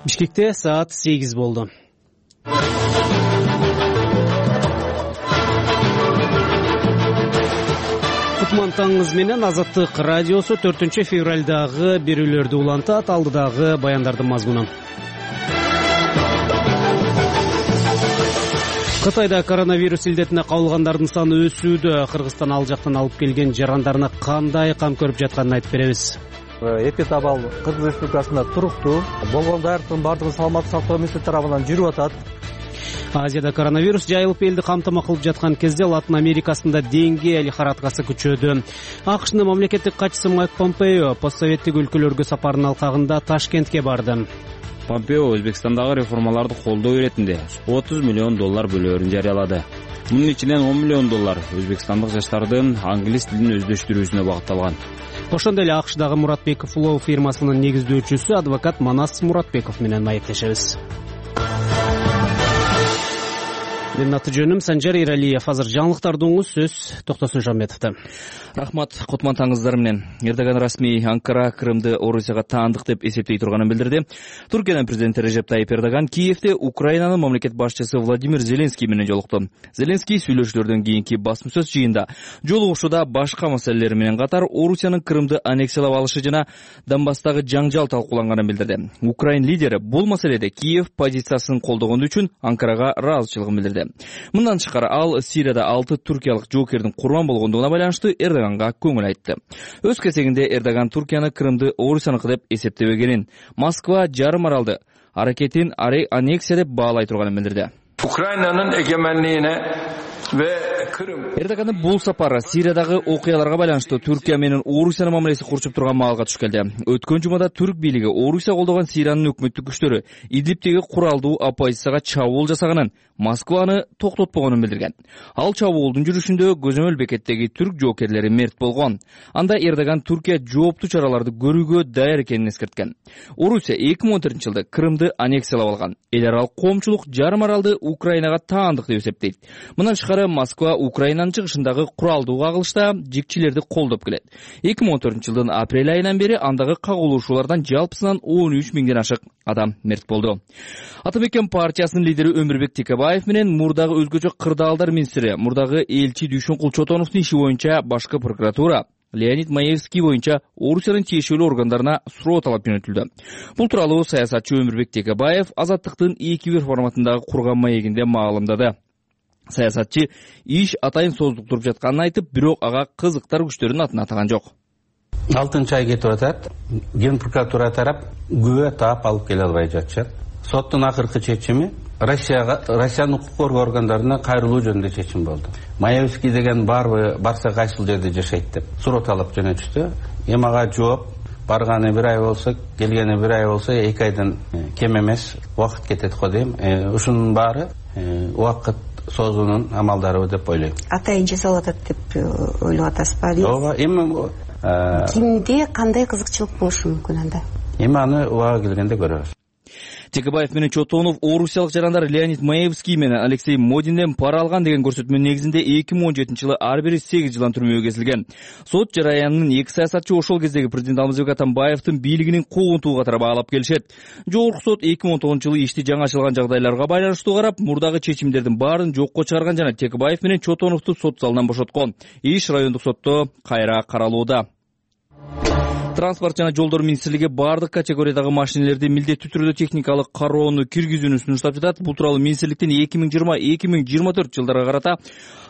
Бишкекте саат 8 болду. Кутман таңыңыз менен Азаттык радиосу 4 февралдагы берүүлөрдү улантат. Алдыдагы баяндардын мазмуну. Кытайда коронавирус илдетине кабылгандардын саны өсүүдө. Кыргызстан ал жактан алып келген жарандарына кандай кам көрүп жатканын айтып беребиз. Эпидабал Кыргыз Республикасында туруктуу. Болгондордун бардыгы саламаттык сактоо министри тарабынан жүрүп атат. Азияда коронавирус жайылып элди камтама кылып жаткан кезде Латын Америкасында деңге лихорадкасы күчөдү. АКШнын мамлекеттик катчысы Майк Помпео постсоветтик өлкөлөргө сапарынын алкагында Ташкентке барды. Помпео Өзбекстандагы реформаларды колдоо иретинде $30 миллион бөлөөрүн жарыялады. Мунун ичинен $10 миллион өзбекстандык жаштардын англис тилин өздөштүрүүсүнө багытталган. Ошондой эле АКШдагы Muratbekov Law фирмасынын негиздөөчүсү адвокат Манас Muratbekov менен маектешебиз. Менин аты жөнүм Санжар Эралиев. Азыр жаңылыктарды уңуз, сөз Токтосун Жамбетовдо. Рахмат, Кутман таңыңыздар менен. Эрдоган расмий Анкара Крымды Орусияга таандык деп эсептей турганын билдирди. Туркиянын президенти Режеп Тайип Эрдоган Киевде Украинанын мамлекет башчысы Владимир Зеленский менен жолукту. Зеленский сүйлөшүүлөрдөн кийинки басма сөз жыйында жолугушууда башка маселелер менен катар Орусиянын Крымды аннексиялап алышы жана Донбасстагы жаңжал талкууланганын билдирди. Украин лидери бул маселеде Киев позициясын колдогону үчүн Анкарага ыраазычылыгын билдирди. Мындан тышкары ал Сирияда 6 туркиялык жоокердин курман болгондугуна байланыштуу Эрдоганга көңүл айтты. Өз кезегинде Эрдоган Туркияны Крымды Орусияныкы деп эсептебегенин, Москва жарым аралды аракетин аннексия деп баалай турганын билдирди. Украинанын эгеменлигине ve Эрдоганын бул сапары Сириядагы окуяларга байланыштуу Түркия менен Орусиянын мамилеси курчуп турган маалга туш келди. Өткөн жумада түрк бийлиги Орусия колдогон Сириянын өкмөттүк күчтөрү Идлибтеги куралдуу оппозицияга чабуул жасаганын, Москваны токтотпогонун билдирген. Ал чабуулдун жүрүшүндө көзөмөл бекеттеги түрк жоокерлери мерт болгон. Анда Эрдоган Түркия жооптуу чараларды көрүүгө даяр экенин эскерткен. Орусия 2014-жылда Крымды аннексиялап алган. Эл аралык коомчулук жарым аралды Украинага таандык деп эсептейт. Мындан тышкары Москва Украинанын чыгышындагы куралдуу кагылышта жикчилерди колдоп келет. 2014-жылдын апрель айынан бери андагы кагылышуулардан жалпысынан 13 миңден ашык адам мерт болду. Атамекен партиясынын лидери Өмүрбек Текебаев менен мурдагы өзгөчө кырдаалдар министри, мурдагы элчи Дүйшөнкул Чотоновдун иши боюнча башкы прокуратура Леонид Маевский боюнча Орусиянын тиешелүү органдарына суроо талап жөнөтүлдү. Бул тууралуу саясатчы Өмүрбек Текебаев Азаттыктын 2-1 форматындагы курган маегинде маалымдады. Саясатчы иш атайын создуктуруп жатканын айтып, бирок ага кызыктар күчтөрүнүн атын атаган жок. 6-ай кетип атат. Ген прокуратура тарап күбө таап алып келе албай жатышат. Соттун акыркы чечими Россиянын укук коргоо органдарына кайрылуу жөнүндө чечим болду. Маевский деген барса кайсыл жерде жашайт деп суроо талап жөнөтүштү. Эми ага жооп барганы 1 ай болсо, келгени 1 ай болсо 2 айдан кем эмес убакыт кетет го дейм. Ушунун баары убакыт созуунун амалдары деп ойлойм. Атайын жасалып атат деп ойлоп атасызбы? Ооба, эми кимде кандай кызыкчылык болушу мүмкүн анда? Эми аны убага келгенде көрөбүз. Текебаев менен Чотонов орусиялык жарандар Леонид Маевский менен Алексей Модинден пара алган деген көрсөтмө негизинде 2017-жылы ар бири 8 жылдан түрмөгө кезилген. Сот жараянынын 2 саясатчы ошол кездеги президент Алмазбек Атамбаевдин бийлигинин куугунтугу катары баалап келишет. Жогорку сот 2019-жылы ишти жаңачылган жагдайларга байланыштуу карап, мурдагы чечимдердин баарын жокко чыгарган жана Текебаев менен Чотоновду сот залынан бошоткон. Иш райондук сотто кайра каралууда. Транспорт жана жолдор министрлиги бардык категориядагы машинелерди милдеттүү түрдө техникалык кароону киргизүүнү сунуштап жатат. Бул тууралуу министрликтин 2020-2024 жылдарга карата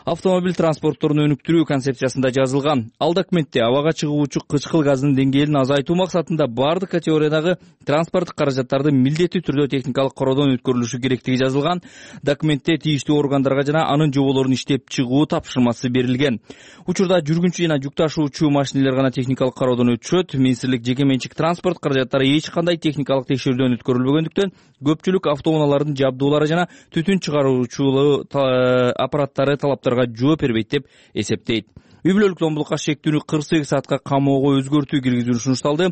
автомобиль транспортторун өнүктүрүү концепциясында жазылган. Ал документте абага чыгуучу кычкыл газдын деңгээлин азайтуу максатында бардык категориядагы транспорттук каражаттарды милдеттүү түрдө техникалык кароодон өткөрүлүшү керектиги жазылган. Документте тийиштүү органдарга жана анын жоболорун иштеп чыгуу тапшырмасы берилген. Учурда жүргүнчү жана жүк ташуучу машинелер гана техникалык кароодон өтүшөт. Министрлик жеке менчик транспорт каражаттары эч кандай техникалык текшерүүдөн өткөрүлбөгөндүктөн көпчүлүк автоунаалардын жабдуулары жана түтүн чыгаруучу аппараттары талаптарга жооп бербейт деп эсептейт. үй бүлөлүк зомбулукка шектүүнү 48 саатка камоого өзгөртүү киргизүү сунушталды.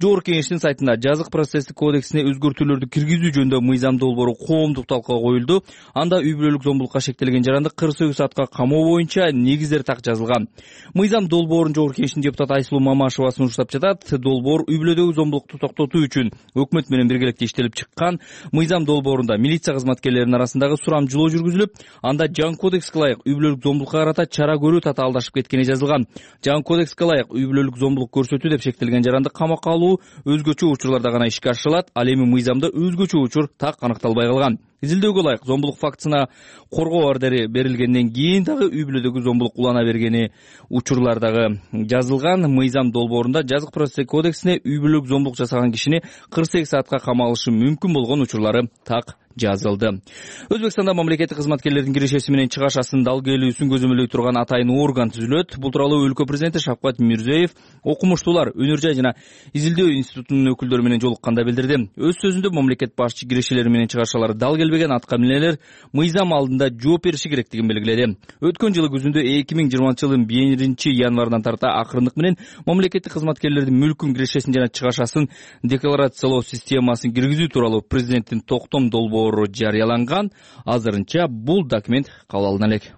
Жогорку Кеңештин сайтында жазык процесстик кодексине өзгөртүүлөрдү киргизүү жөнүндө мыйзам долбоору коомдук талкууга коюлду. Анда үй бүлөлүк зомбулукка шектелген жаранды 48 саатка камоо боюнча негиздер так жазылган. Мыйзам долбоорун Жогорку Кеңештин депутаты Айсулуу Мамашева сунуштап жатат. Долбоор үй бүлөдөгү зомбулукту токтотуу үчүн өкмөт менен биргеликте иштелип чыккан. Мыйзам долбоорунда милиция кызматкерлеринин арасындагы сурамжылоо жүргүзүлүп, анда Жаңы кодекске ылайык үй бүлөлүк зомбулукка карата чара көрүү татаалдашып кеткени жазылган. Жаңы кодекске ылайык үй бүлөлүк зомбулук көрсөтүү деп шектелген жаранды камакка алуу өзгөчө учурларда гана ишке ашырылат. Ал эми мыйзамда өзгөчө учур так аныкталбай калган. Изилдөөгө ылайык зомбулук фактысына коргоо бардары берилгенден кийин дагы үй бүлөдөгү зомбулук улана бергени учурлар дагы жазылган. Мыйзам долбоорунда жазык процесстик кодексине үй бүлөлүк зомбулук жасаган кишини 48 саатка камалышы мүмкүн болгон учурлары так жазылды. Өзбекстанда мамлекеттик кызматкерлердин кирешеси менен чыгашасын дал келүүсүн көзөмөлдөй турган атайын орган түзүлөт. Бул тууралуу өлкө президенти Шавкат Мирзиёев окумуштуулар, өнөр жай жана изилдөө институтунун өкүлдөрү менен жолукканда билдирди. Өз сөзүндө мамлекет башчы кирешелери менен чыгашалары дал келбеген аткаминелер мыйзам алдында жооп бериши керектигин белгиледи. Өткөн жылы күзүндө 2020 жылдын 1-январынан тарта акырындык менен мамлекеттик кызматкерлердин мүлкүн, кирешесин жана чыгашасын декларациялоо системасын киргизүү тууралуу президенттин токтом долбоору жарыяланган. Азырынча бул документ кабыл алына элек.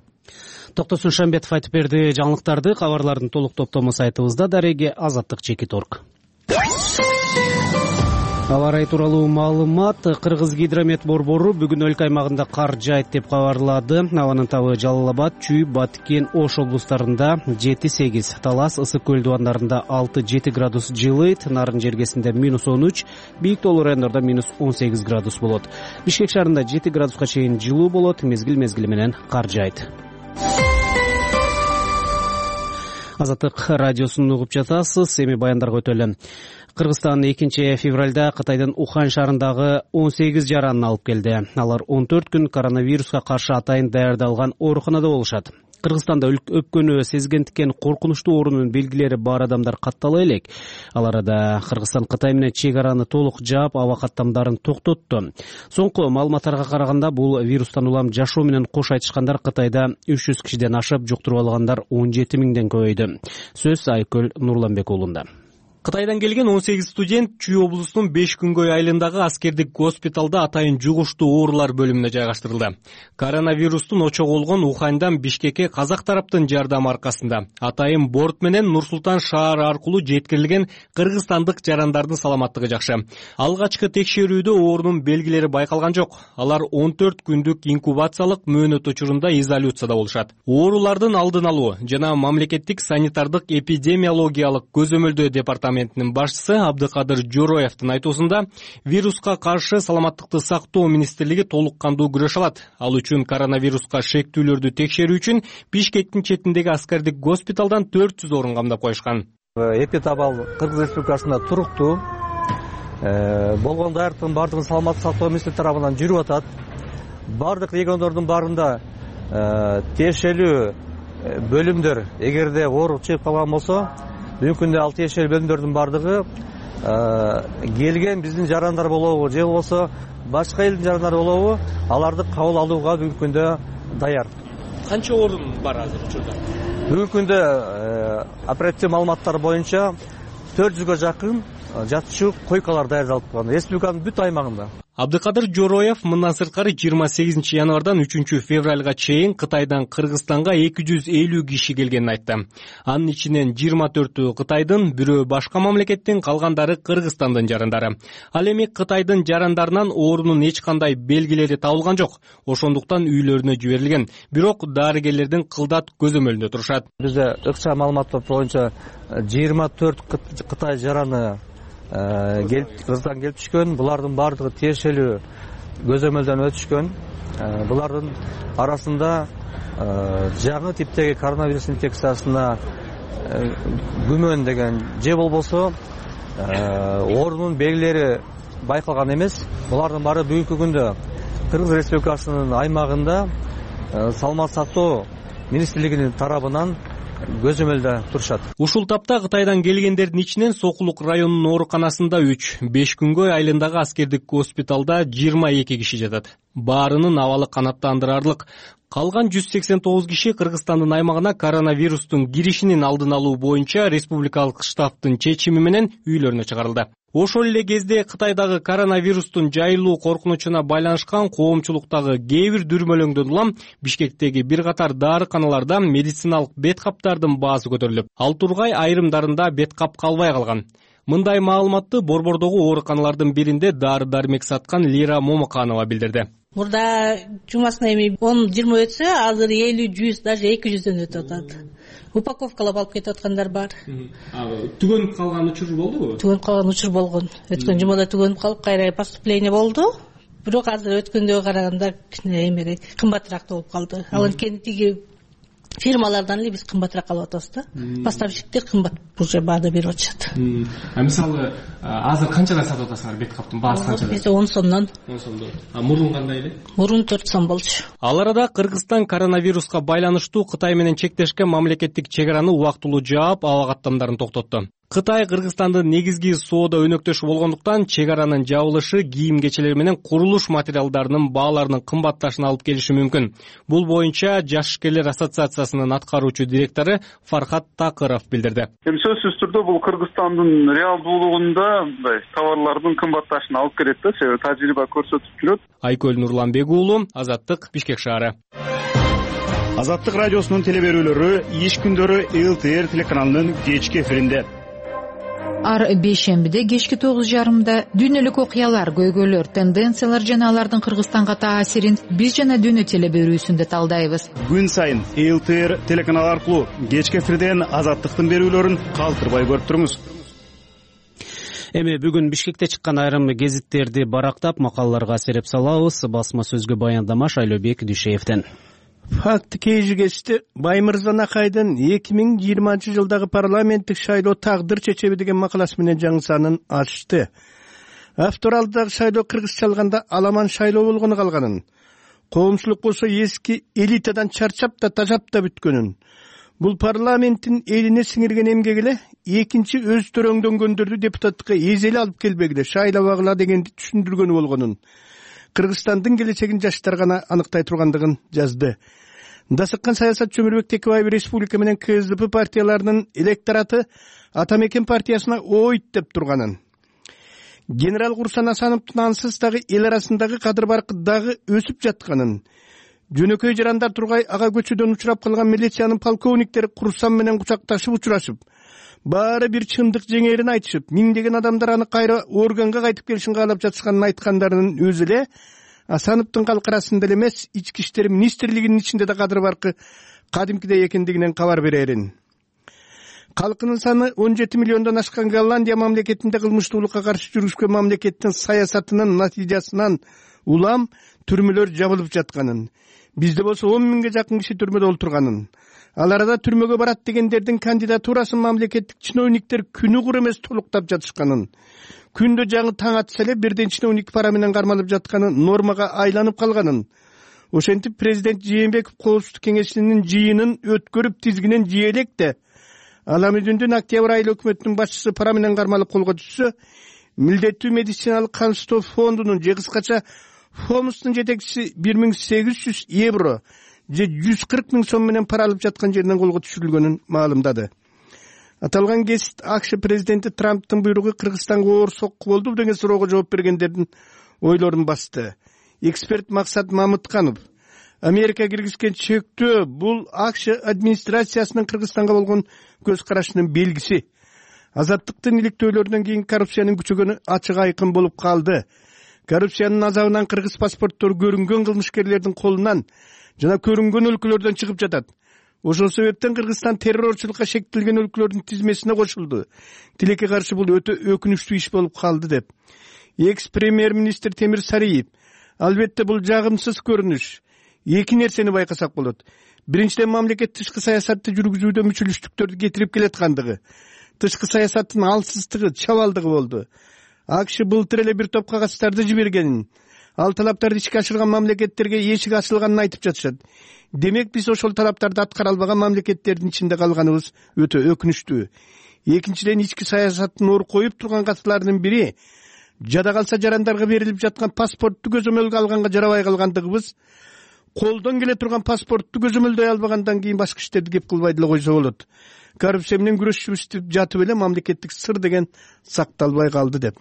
Токтосун Шамбетов айтып берди. Жаңылыктарды кабарлардын толук топтому сайтыбызда, дареги azatlyk.org. Аба ырайы тууралуу маалымат. Кыргыз гидромет борбору бүгүн өлкө аймагында кар жаайт деп кабарлады. Абанын табы Жалал Абад, Чүй, Баткен, Ош облустарында 7-8, Талас, Ысык көл дубандарында 6-7 градус жылыйт, Нарын жергесинде -13, бийик тоолуу райондордо -18 градус болот. Бишкек шаарында 7 градуска чейин жылуу болот, мезгил менен кар жаайт. Азаттык радиосун угуп жатасыз. Эми баяндарга өтөлү. Кыргызстан 2 февралда Кытайдын Ухан шаарындагы 18 жаранын алып келди. Алар 14 күн коронавируска каршы атайын даярдалган ооруканада болушат. Кыргызстанда өпкөнү сезгендиктен коркунучтуу оорунун белгилери бар адамдар каттала элек. Ал арада Кыргызстан Кытай менен чек араны толук жаап, аба каттамдарын токтотту. Соңку маалыматтарга караганда бул вирустан улам жашоо менен кош айтышкандар Кытайда 300 кишиден ашып, жуктуруп алгандар 17 миңден көбөйдү. Сөз Айкөл Нурланбек уулунда. Кытайдан келген 18 студент Чүй облусунун 5 күнгөй айылындагы аскердик госпиталда атайын жугуштуу оорулар бөлүмүнө жайгаштырылды. Коронавирустун очогу болгон Уханьдан Бишкекке казак тараптын жардамы аркасында атайын борт менен Нур-Султан шаары аркылуу жеткирилген кыргызстандык жарандардын саламаттыгы жакшы. Алгачкы текшерүүдө оорунун белгилери байкалган жок. Алар 14 күндүк инкубациялык мөөнөт учурунда изоляцияда болушат. Оорулардын алдын алуу жана мамлекеттик санитардык эпидемиологиялык көзөмөлдөө департаментинин башчысы Абдыкадыр Жороевдин айтуусунда, вируска каршы саламаттыкты сактоо министрлиги толук кандуу күрөш алат. Ал үчүн коронавируска шектүүлөрдү текшерүү үчүн Бишкектин четиндеги аскердик госпиталдан 400 орун камдап коюшкан. Эпидабал Кыргыз Республикасында туруктуу болгон даярдыктын бардыгын саламаттык сактоо министрлиги тарабынан жүрүп атат. Бардык региондордун баарында тиешелүү бөлүмдөр эгерде оору чыгып калган болсо, бүгүнкү күндө ал тиешелүү бөлүмдөрдүн бардыгы келген биздин жарандар болобу же болбосо башка элдин жарандары болобу, аларды кабыл алууга бүгүнкү күндө даяр. Канча орун бар азыр учурда? Бүгүнкү күндө оперативдик маалыматтар боюнча 400гө жакын жатчу койкалар даярдалып турган республиканын бүт аймагында. Абдыкадыр Жороев мындан сырткары 28 январдан 3 февралга чейин Кытайдан Кыргызстанга 250 киши келгенин айтты. Анын ичинен 24-ü Кытайдын, бирөө башка мамлекеттин, калгандары Кыргызстандын жарандары. Ал эми Кытайдын жарандарынан оорунун эч кандай белгилери табылган жок. Ошондуктан үйлөрүнө жиберилген. Бирок дарыгерлердин кылдат көзөмөлүндө турушат. Бизде ыкча маалыматтар боюнча 24 Кытай жараны Кыргызстанга келип түшкөн. Булардын бардыгы тиешелүү көзөмөлдөн өтүшкөн. Булардын арасында жаңы типтеги коронавирус инфекциясына күмөн же болбосо оорунун белгилери байкалган эмес. Булардын баары бүгүнкү күндө Кыргыз Республикасынын аймагында саламаттык сактоо министрлигинин тарабынан көзөмөлдө турушат. Ушул тапта Кытайдан келгендердин ичинен Сокулук районунун ооруканасында 3, 5 күнгөй айылындагы аскердик госпиталда 22 киши жатат. Баарынын абалы канааттандырарлык. Калган 189 киши Кыргызстандын аймагына коронавирустун киришинин алдын алуу боюнча республикалык штабтын чечими менен үйлөрүнө чыгарылды. Ошол эле кезде Кытайдагы коронавирустун жайылуу коркунучуна байланышкан коомчулуктагы кээ бир дүрмөлөңдөн улам Бишкектеги бир катар дарыканаларда медициналык бет каптардын баасы көтөрүлүп, ал тургай айрымдарында бет кап калбай калган. Мындай маалыматты Борбордогу ооруканалардын биринде дары-дармек саткан Лира Момоканова билдирди. Мурда жумасына эми 10-20 өтсө, азыр 50-100, даже 200дөн өтүп атат. Упаковкалап алып кетип аткандар бар. Түгөнүп калган учур болдубу? Түгөнүп калган учур болгон. Өткөн жумада түгөнүп калып, кайра поступление болду. Бирок азыр өткөндөгө караганда эмерек кымбатыраак болуп калды. Ал анткени тиги фирмалардан эле биз кымбатыраак алып атабыз да. Поставщиктер кымбат уже баада берип атышат. Мисалы, азыр канчадан сатып атасыңар бет каптын баасы канчадан? Биз 10 сомдон. 10 сомдон. Мурун кандай эле? Мурун 4 сом болчу. Ал арада Кыргызстан коронавируска байланыштуу Кытай менен чектешкен мамлекеттик чек араны убактылуу жаап, аба каттамдарын токтотту. Кытай Кыргызстандын негизги соода өнөктөшү болгондуктан чек аранын жабылышы кийим-кечелер менен курулуш материалдарынын бааларынын кымбатташына алып келиши мүмкүн. Бул боюнча Жашкерлер ассоциациясынын аткаруучу директору Фархат Такыров билдирди. Сөзсүз түрдө бул Кыргызстандын реалдуулугунда мындай товарлардын кымбатташына алып келет да, себеби тажрыйба көрсөтүп жүрөт. Айкөл Нурланбек уулу, Азаттык, Бишкек шаары. Азаттык радиосунун телеберүүлөрү иш күндөрү ЛТР телеканалынын кечки эфиринде. Ар бейшембиде кечки 9:30 дүйнөлүк окуялар, көйгөйлөр, тенденциялар жана алардын Кыргызстанга таасирин биз жана дүйнө телеберүүсүндө талдайбыз. Күн сайын ЛТР телеканалы аркылуу кечки эфирден Азаттыктын берүүлөрүн калтырбай көрүп туруңуз. Эми бүгүн Бишкекте чыккан айрым гезиттерди барактап, макалаларга сереп салабыз. Басма сөзгө баяндама Шайлообек Дүйшеевден. Факт кейжигести Баймырзан Акайдын 2020-жылдагы парламенттик шайлоо тагдыр чечеби деген макаласы менен жаңы санын ачты. Автор алдагы шайлоо кыргызча алганда аламан шайлоо болгону калганын, коомчулук болсо эски элитадан чарчап да тажап да бүткөнүн, бул парламенттин элине сиңирген эмгек эле экинчи өз төрөңдөнгөндөрдү депутаттыкка эзели алып келбегиле шайлабагыла дегенди түшүндүргөнү болгонун, Кыргызстандын келечегин жаштар гана аныктай тургандыгын жазды. Дасыккан саясат Чөмүрбек Текебаев республика менен КСДП партияларынын электораты Атамекен партиясына ойт деп турганын, генерал Курсан Асановдун ансыз дагы эл арасындагы кадыр баркы дагы өсүп жатканын, жөнөкөй жарандар тургай ага көчөдөн учурап калган милициянын полковниктери Курсан менен кучакташып учурашып, баары бир чындык жеңерин айтышып, миңдеген адамдар аны кайра органга кайтып келишин каалап жатышканын айткандарынын өзү эле Асановдун калкарасында эле эмес, ички иштер министрлигинин ичинде да кадыр баркы кадимкидей экендигинен кабар берерин. Калкынын саны 17 миллиондон ашкан Голландия мамлекетинде кылмыштуулукка каршы жүргүзгөн мамлекеттин саясатынын натыйжасынан улам түрмөлөр жабылып жатканын, бизде болсо 10 миңге жакын киши түрмөдө олтурганын, ал арада түрмөгө барат дегендердин кандидатурасын мамлекеттик чиновниктер күнү кур эмес толуктап жатышканын, күндө жаңы таң атса эле бирден чиновник пара менен кармалып жатканы нормага айланып калганын, ошентип президент Жээнбеков коопсуздук кеңешинин жыйынын өткөрүп тизгинен жие электе Аламүдүндүн октябрь айыл өкмөтүнүн башчысы пара менен кармалып колго түшсө, милдеттүү медициналык камсыздоо фондунун же кыскача ФОМустун жетекчиси 1800 евро же 140 миң сом менен пара алып жаткан жеринен колго түшүрүлгөнүн маалымдады. Аталган гезит АКШ президенти Трамптын буйругу Кыргызстанга оор сокку болду деген суроого жооп бергендердин ойлорун басты. Эксперт Максат Мамытканов, Америка киргизген чектөө бул АКШ администрациясынын Кыргызстанга болгон көз карашынын белгиси. Азаттыктын иликтөөлөрүнөн кийин коррупциянын күчөгөнү ачык айкын болуп калды. Коррупциянын азабынан кыргыз паспорттору көрүнгөн кылмышкерлердин колунан жана көрүнгөн өлкөлөрдөн чыгып жатат. Ошол себептен Кыргызстан террорчулукка шектелген өлкөлөрдүн тизмесине кошулду. Тилекке каршы бул өтө өкүнүчтүү иш болуп калды деп. Экс-премьер-министр Темир Сариев, албетте бул жагымсыз көрүнүш. Эки нерсени байкасак болот. Биринчиден, мамлекет тышкы саясатты жүргүзүүдө мүчүлүштүктөрдү кетирип келаткандыгы, тышкы саясаттын алсыздыгы, чабалдыгы болду. АКШ былтыр эле бир топ кагаздарды жибергенин, ал талаптарды ишке ашырган мамлекеттерге эшик ачылганын айтып жатышат. Демек биз ошол талаптарды аткара албаган мамлекеттердин ичинде калганыбыз өтө өкүнүчтүү. Экинчиден, ички саясаттын ор коюп турган катыларынын бири жада калса жарандарга берилип жаткан паспортту көзөмөлгө алганга жарабай калгандыгыбыз. колдон келе турган паспортту көзөмөлдөй албагандан кийин башка иштерди кеп кылбай деле койсо болот. Коррупция менен күрөшүбүз деп жатып эле мамлекеттик сыр деген сакталбай калды деп.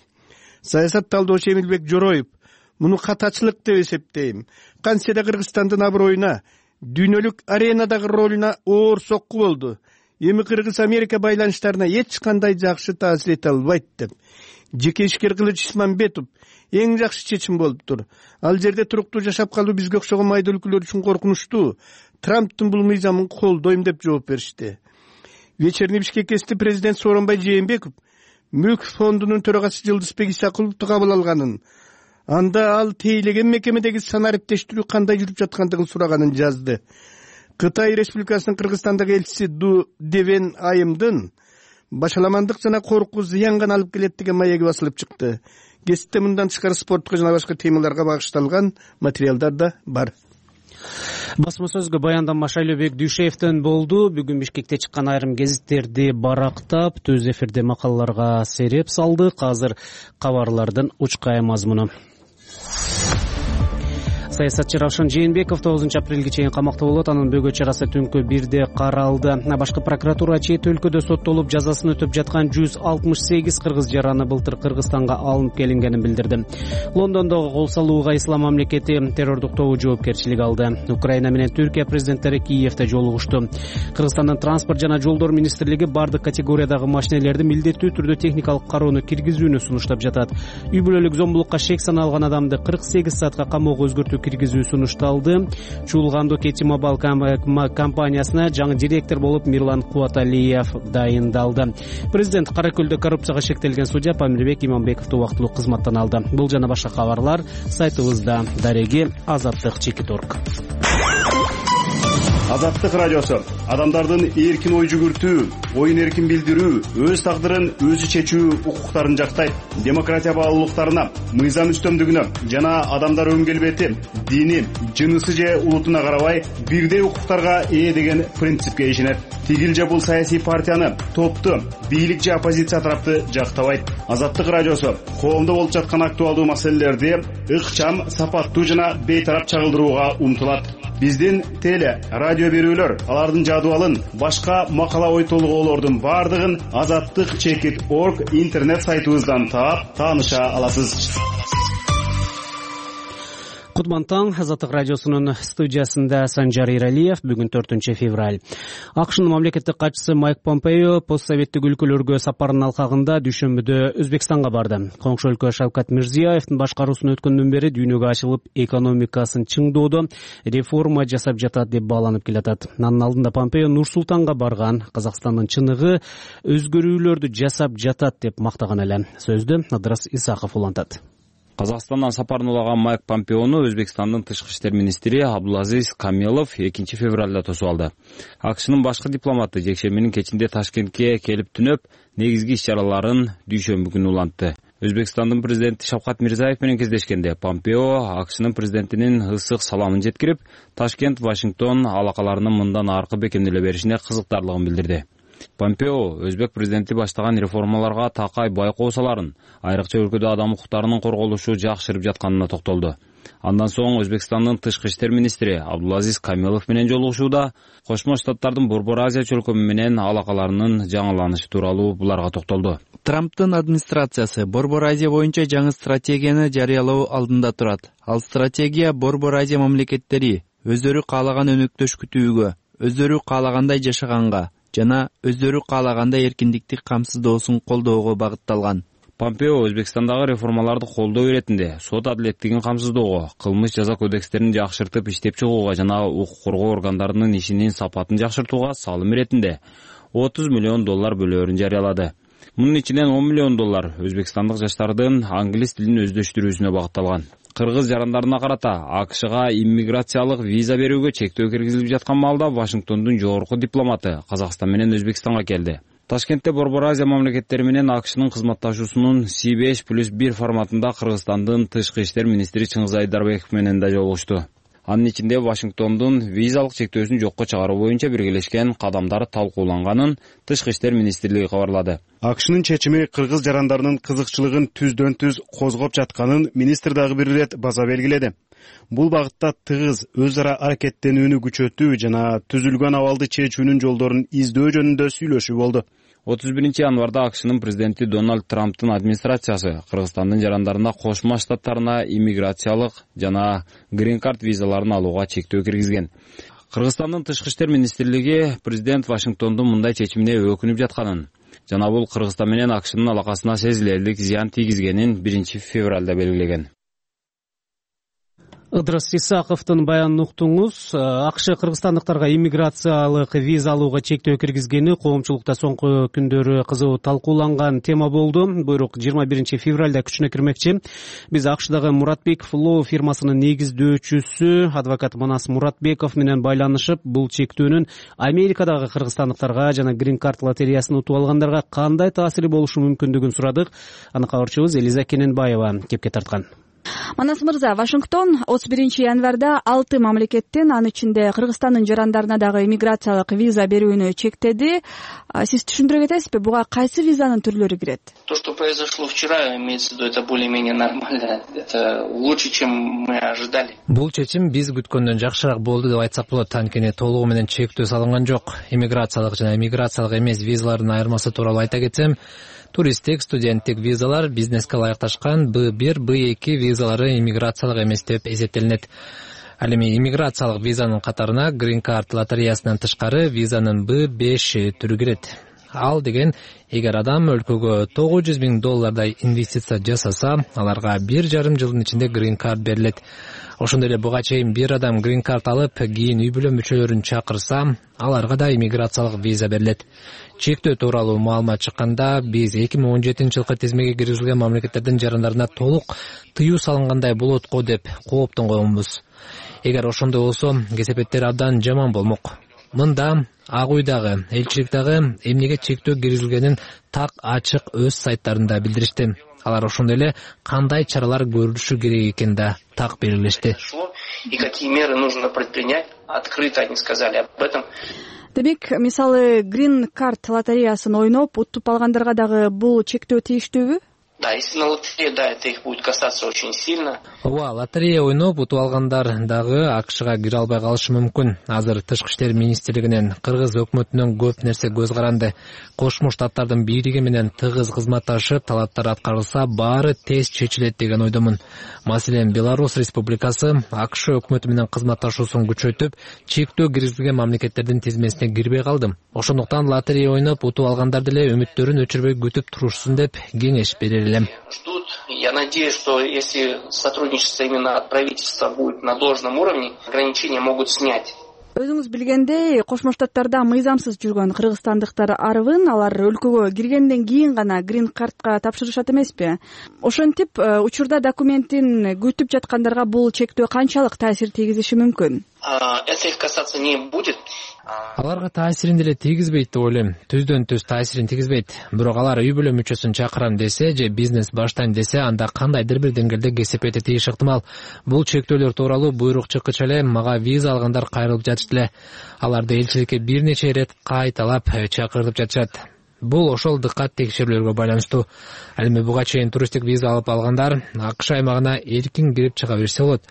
Саясат талдоочу Эмилбек Жороев муну катачылык деп эсептейм. Кантсе да Кыргызстандын аброюна, дүйнөлүк аренадагы ролуна оор сокку болду. Эми Кыргыз-Америка байланыштарына эч кандай жакшы таасир эте албайт деп. Жеке ишкер Кылыч Исмамбетов эң жакшы чечим болуптур. Ал жерде туруктуу жашап калуу бизге окшогон майда өлкөлөр үчүн коркунучтуу. Трамптын бул мыйзамын колдойм деп жооп беришти. Вечерний Бишкекте президент Сооронбай Жээнбеков Мүлк фондунун төрагасы Жылдызбек Исакуловду кабыл алганын, анда ал тейлеген мекемедеги санариптештирүү кандай жүрүп жаткандыгын сураганын жазды. Кытай Республикасынын Кыргызстандагы элчиси Ду Девен Айымдын башаламандык жана коркуу зыянган алып келет деген маеги басылып чыкты. Гезитте мындан тышкары спорттук жана башка темаларга багышталган материалдар да бар. Басма сөзгө баяндама Шайлообек Дүйшеевден болду. Бүгүн Бишкекте чыккан айрым гезиттерди барактап, төз эфирде макалаларга сереп салдык. Азыр кабарлардын учкай мазмуну. Саясатчы Равшан Жээнбеков 9 апрелге чейин камакта болот. Анын бөгөт чарасы түнкү 1-де каралды. Башкы прокуратура чет өлкөдө соттолуп жазасын өтөп жаткан 168 кыргыз жараны былтыр Кыргызстанга алынып келингенин билдирди. Лондондогу кол салууга Ислам мамлекети террордук тобу жоопкерчилик алды. Украина менен Түркия президенттери Киевде жолугушту. Кыргызстандын транспорт жана жолдор министрлиги бардык категориядагы машинелерди милдеттүү түрдө техникалык кароону киргизүүнү сунуштап жатат. Үй бүлөлүк зомбулукка шек саналган адамды 48 саатка камоого өзгөртүү киргизүү сунушталды. Чуулганду Кети Мобайл компаниясына жаңы директор болуп Мирлан Кубаталиев дайындалды. Президент Кара Көлдө коррупцияга шектелген судья Памирбек Иманбековду убактылуу кызматтан алды. Бул жана башка кабарлар сайтыбызда. Дареги Азаттык Чекиторг. Азаттык радиосу адамдардын эркин ой жүгүртүү, оюн эркин билдирүү, өз тагдырын өзү чечүү укуктарын жактайт. Демократия баалуулуктарына, мыйзам үстөмдүгүнө жана адамдар өң келбети, дини, жынысы же улутуна карабай бирдей укуктарга ээ деген принципке ишенет. Тигил же бул саясий партияны, топту, бийлик же оппозиция тарапты жактабайт. Азаттык радиосу коомдо болуп жаткан актуалдуу маселелерди ыкчам, сапаттуу жана бейтарап чагылдырууга умтулат. Биздин теле, радио берүүлөр, алардын жадыбалын, башка макала ой толгоолордун бардыгын azattik.org интернет сайтыбыздан таап, тааныша аласыз. Кутман таң, Азаттык радиосунун студиясында Санжар Иралиев. Бүгүн 4 февраль. АКШнын мамлекеттик катчысы Майк Помпео постсоветтик өлкөлөргө сапарынын алкагында дүйшөмбүдө Өзбекстанга барды. Коңшу өлкө Шавкат Мирзиёевдин башкаруусун өткөндөн бери дүйнөгө ачылып, экономикасын чыңдоодо реформа жасап жатат деп бааланып келатат. Анын алдында Помпео Нур-Султанга барган, Казакстандын чыныгы өзгөрүүлөрдү жасап жатат деп мактаган эле. Сөздү Адрас Исаков улантат. Казакстандан сапарын улаган Майк Помпеону Өзбекстандын тышкы иштер министри Абдулазиз Камилов 2 февралда тосуп алды. АКШнын башкы дипломаты жекшембинин кечинде Ташкентке келип түнөп, негизги иш-чараларын дүйшөмбү күнү улантты. Өзбекстандын президенти Шавкат Мирзиёев менен кездешкенде Помпео АКШнын президентинин ысык саламын жеткирип, Ташкент-Вашингтон алакаларынын мындан аркы бекемделе беришине кызыктарлыгын билдирди. Помпео өзбек президенти баштаган реформаларга такай байкоо саларын, айрыкча өлкөдө адам укуктарынын корголушу жакшырып жатканына токтолду. Андан соң Өзбекстандын тышкы иштер министри Абдулазиз Камилов менен жолугушууда Кошмо Штаттардын Борбор Азия чөлкөмү менен алакаларынын жаңыланышы тууралуу буларга токтолду. Трамптын администрациясы Борбор Азия боюнча жаңы стратегияны жарыялоо алдында турат. Ал стратегия Борбор Азия мамлекеттери өздөрү каалаган өнөктөш күтүүгө, өздөрү каалагандай жашаганга жана өздөрү каалагандай эркиндикти камсыздоосун колдоого багытталган. Помпео Өзбекстандагы реформаларды колдоо иретинде сот адилеттигин камсыздоого, кылмыш жаза кодекстерин жакшыртып иштеп чыгууга жана укук коргоо органдарынын ишинин сапатын жакшыртууга салым иретинде $30 миллион бөлөөрүн жарыялады. Мунун ичинен $10 миллион өзбекстандык жаштардын англис тилин өздөштүрүүсүнө багытталган. Кыргыз жарандарына карата АКШга иммиграциялык виза берүүгө чектөө киргизилип жаткан маалда Вашингтондун жогорку дипломаты Казакстан менен Өзбекстанга келди. Ташкентте Борбор Азия мамлекеттери менен АКШнын кызматташуусунун C5+1 форматында Кыргызстандын тышкы иштер министри Чыңгыз Айдарбеков менен да жолугушту. Анын ичинде Вашингтондун визалык чектөөсүн жокко чыгаруу боюнча биргелешкен кадамдар талкууланганын Тышкы иштер министрлиги кабарлады. АКШнын чечими кыргыз жарандарынын кызыкчылыгын түздөн түз козгоп жатканын министр дагы бир ирет баса белгиледи. Бул багытта тыгыз өз ара аракеттенүүнү күчөтүү жана түзүлгөн абалды чечүүнүн жолдорун издөө жөнүндө сүйлөшүү болду. 31 январда АКШнын президенти Дональд Трамптын администрациясы Кыргызстандын жарандарына Кошмо Штаттарына иммиграциялык жана грин карт визаларын алууга чектөө киргизген. Кыргызстандын Тышкы иштер министрлиги президент Вашингтондун мындай чечимине өкүнүп жатканын жана бул Кыргызстан менен АКШнын алакасына сезилерлик зыян тийгизгенин 1 февралда белгилеген. Ыдырыс Исаковдун баянын уктуңуз. АКШ кыргызстандыктарга иммиграциялык виза алууга чектөө киргизгени коомчулукта соңку күндөрү кызуу талкууланган тема болду. Буйрук 21 февралда күчүнө кирмекчи. Биз АКШдагы Muratbekov Law фирмасынын негиздөөчүсү адвокат Манас Muratbekov менен байланышып, бул чектөөнүн Америкадагы кыргызстандыктарга жана грин карт лотереясын утуп алгандарга кандай таасири болушу мүмкүндүгүн сурадык. Аны кабарчыбыз Элиза Кененбаева кепке тарткан. Манас мырза, Вашингтон 31 январда 6 мамлекеттин, анын ичинде Кыргызстандын жарандарына дагы иммиграциялык виза берүүнү чектеди. Сиз түшүндүрө кетесизби, буга кайсы визанын түрлөрү кирет? То, что произошло вчера, имеется в виду, это более-менее нормально. Это лучше, чем мы ожидали. Бул чечим биз күткөндөн жакшыраак болду деп айтсак болот. Анткени толугу менен чектөө салынган жок. Иммиграциялык жана иммиграциялык эмес визалардын айырмасы тууралуу айта кетсем, туристтик, студенттик визалар бизнеске ылайыкташкан B1, B2 визалары иммиграциялык эмес деп эсептелинет. Ал эми иммиграциялык визанын катарына грин карт лотереясынан тышкары визанын B5 түрү кирет. Ал деген, эгер адам өлкөгө $900,000 инвестиция жасаса, аларга 1,5 жылдын ичинде грин карт берилет. Ошондой эле буга чейин бир адам грин карт алып, кийин үй бүлө мүчөлөрүн чакырса, аларга да иммиграциялык виза берилет. Чектөө тууралуу маалымат чыкканда, биз 2017-жылкы тизмеге киргизилген мамлекеттердин жарандарына толук тыюу салынгандай болот го деп кооптон койгонбуз. Эгер ошондой болсо, кесепеттер абдан жаман болмок. Мында Ак Уйдагы, элчиликтагы эмнеге чектөө киргизилгенин так ачык өз сайттарында билдиришти. Алар ошондой эле кандай чаралар көрүлүшү керек экенин да так белгилешти. И какие меры нужно предпринять, открыто они сказали об этом. Демек, мисалы, грин карт лотереясын ойноп, утуп алгандарга дагы бул чектөө тийиштүүбү? Да, если на лотерее, да, это их будет касаться очень сильно. Ооба, лотерея ойноп утуп алгандар дагы АКШга кире албай калышы мүмкүн. Азыр Тышкы иштер министрлигинен, Кыргыз өкмөтүнөн көп нерсе көз каранды. Кошмо Штаттардын бийлиги менен тыгыз кызматташып, талаптар аткарылса, баары тез чечилет деген ойдомун. Маселен, Беларусь Республикасы АКШ өкмөтү менен кызматташуусун күчөтүп, чектөө киргизилген мамлекеттердин тизмесине кирбей калды. Ошондуктан лотерея ойноп утуп алгандар деле үмүттөрүн өчүрбөй күтүп турушсун деп кеңеш берели. Ждут. Я надеюсь, что если сотрудничество именно от правительства будет на должном уровне, ограничения могут снять. Өзүңүз билгендей, Кошмо Штаттарда мыйзамсыз жүргөн кыргызстандыктар арбын, алар өлкөгө киргенден кийин гана грин картка тапшырышат эмеспи? Ошентип, учурда документин күтүп жаткандарга бул чектөө канчалык таасир тийгизиши мүмкүн? Это их касаться не будет. Аларга таасирин деле тийгизбейт деп ойлойм. Түздөн түз таасирин тийгизбейт. Бирок алар үй бүлө мүчөсүн чакырам десе же бизнес баштайм десе, анда кандайдыр бир деңгээлде кесепети тийиш ыктымал. Бул чектөөлөр тууралуу буйрук чыккыча эле мага виза алгандар кайрылып жатышты эле. Аларды элчиликке бир нече ирет кайталап чакыртып жатышат. Бул ошол дыккат текшерүүлөргө байланыштуу. Ал эми буга чейин туристтик виза алып алгандар АКШ аймагына эркин кирип чыга берсе болот.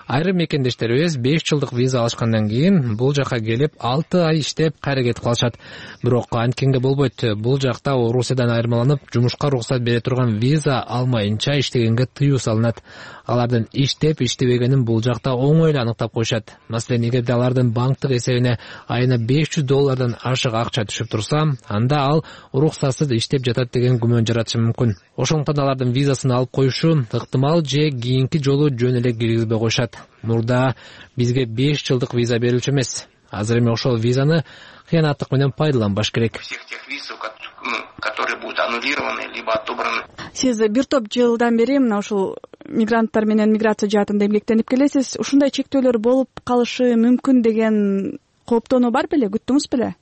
Айрым мекендештерибиз 5 жылдык виза алышкандан кийин бул жака келип 6 ай иштеп кайра кетип калышат. Бирок анткенге болбойт. Бул жакта Орусиядан айырмаланып, жумушка уруксат бере турган виза алмайынча иштегенге тыюу салынат. Алардын иштеп иштебегенин бул жакта оңой эле аныктап коюшат. Маселен, эгерде алардын банктык эсебине айына $500 ашык акча түшүп турса, анда ал уруксатсыз иштеп жатат деген күмөн жаратышы мүмкүн. Ошондуктан алардын визасын алып коюшу ыктымал же кийинки жолу жөн эле киргизбей коюшат. Мурда бизге 5 жылдык виза берилчү эмес. Азыр эми ошол визаны кыянаттык менен пайдаланбаш керек. Которые будут аннулированы либо отобраны. Сиз бир топ жылдан бери мына ушул мигранттар менен миграция жаатында эмгектенип келесиз. Ушундай чектөөлөр болуп калышы мүмкүн деген кооптонуу бар беле, күттүңүз беле?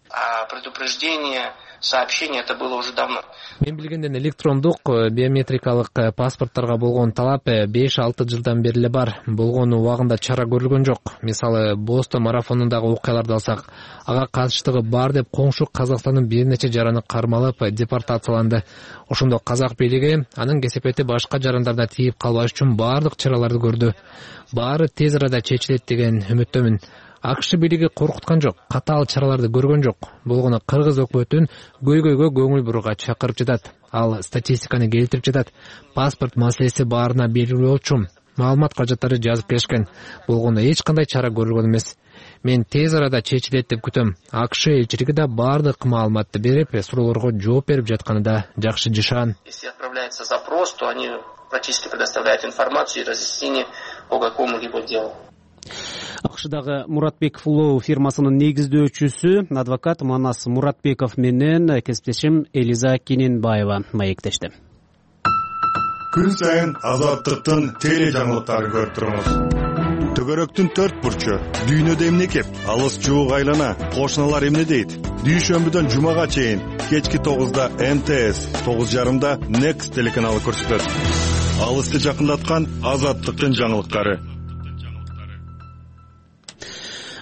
Предупреждение сообщение, это было уже давно. Мен билгенден электрондук биометрикалык паспорттарга болгон талап 5-6 жылдан бери эле бар. Болгону убагында чара көрүлгөн жок. Мисалы, Бостон марафонундагы окуяларды алсак, ага катыштыгы бар деп коңшу Казакстандын бир нече жараны кармалып депортацияланды. Ошондо казак бийлиги анын кесепети башка жарандарда тийип калбаш үчүн бардык чараларды көрдү. Баары тез арада чечилет деген үмүттөмүн. АКШ бийлиги коркуткан жок, катаал чараларды көргөн жок. Болгону кыргыз өкмөтүн көйгөйгө көңүл буруга чакырып жатат. Ал статистиканы келтирип жатат. Паспорт маселеси баарына белгилүү болчу. Маалымат каражаттары жазып келишкен. Болгону эч кандай чара көрүлгөн эмес. Мен тез арада чечилет деп күтөм. АКШ элчилиги да бардык маалыматты берип, суроолорго жооп берип жатканы да жакшы жашан. Если отправляется запрос, то они практически предоставляют информацию и разъяснение по какому-либо делу. АКШдагы Muratbekov Law фирмасынын негиздөөчүсү адвокат Манас Muratbekov менен кесиптешим Элиза Кененбаева маектешти. Күн сайын Азаттыктын теле жаңылыктарын көрүп турабыз. Төгөрөктүн 4 бурчу, дүйнөдө эмне кеп, алыс жуук айлана, кошуналар эмне дейт? Дүйшөмбүдөн жумага чейин кечки 9да МТС, 9:30да Next телеканалы көрсөтөт. Алысты жакындаткан Азаттыктын жаңылыктары.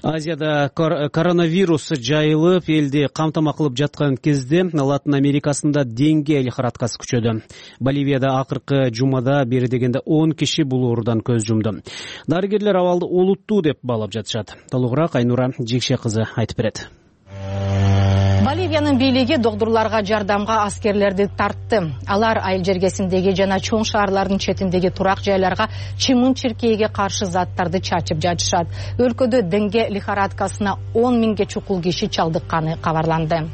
Азияда коронавирус жайылып, элди камтама кылып жаткан кезде Латын Америкасында деңге лихорадкасы күчөдү. Боливияда акыркы жумада бери дегенде 10 киши бул оорудан көз жумду. Дарыгерлер абалды олуттуу деп баалап жатышат. Толугураак Айнура Жекше кызы айтып берет. Боливиянын бийлиги докторлорго жардамга аскерлерди тартты. Алар айыл жергесиндеги жана чоң шаарлардын четиндеги турак жайларга чымын-чиркейге каршы заттарды чачып жатышат. Өлкөдө деңге лихорадкасына 10 миңге чукул киши чалдыкканы кабарланды.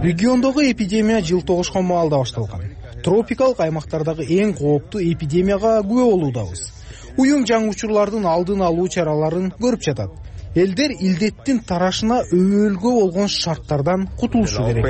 Региондогу эпидемия жыл тогушкан маалда башталган. Тропикалык аймактардагы эң кооптуу эпидемияга күбө болуудабыз. Уюм жаңы учурлардын алдын алуу чараларын көрүп жатат. Элдер илдеттин тарашына өбөлгө болгон шарттардан кутулушу керек.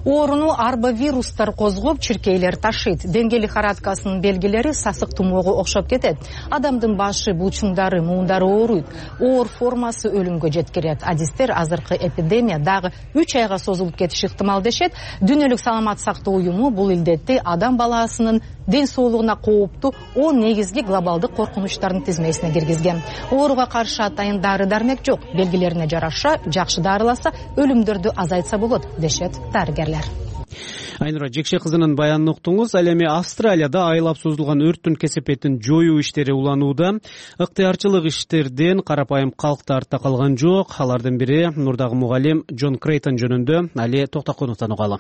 Ооруну арбовирустар козгоп, чиркейлер ташыйт. Деңге лихорадкасынын белгилери сасык тумоого окшоп кетет. Адамдын башы, булчуңдары, муундары ооруйт. Оор формасы өлүмгө жеткирет. Адистер азыркы эпидемия дагы 3 айга созулуп кетиши ыктымал дешет. Дүйнөлүк саламат сактоо уюму бул илдетти адам баласынын ден соолугуна кооптуу 10 негизги глобалдык коркунучтардын тизмесине киргизген. Ооруга каршы атайын дары-дармек жок. Белгилерине жараша, жакшы дарыласа, өлүмдөрдү азайтса болот, дешет дарыгерлер. Айнура Жекше кызынын баянын уктуңуз. Ал эми Австралияда айлап созулган өрттүн кесепетин жоюу иштери уланууда. Ыктыярчылык иштерден карапайым калк да артта калган жок. Алардын бири Нурдагы мугалим Джон Крейтон жөнүндө Али Токтоконовдон угалы.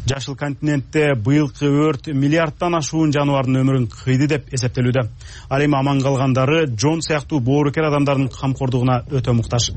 Жашыл континентте быйылкы өрт миллиардтан ашуун жаныбардын өмүрүн кыйды деп эсептелүүдө. Ал эми аман калгандары Джон сыяктуу боорукер адамдардын камкордугуна өтө муктаж.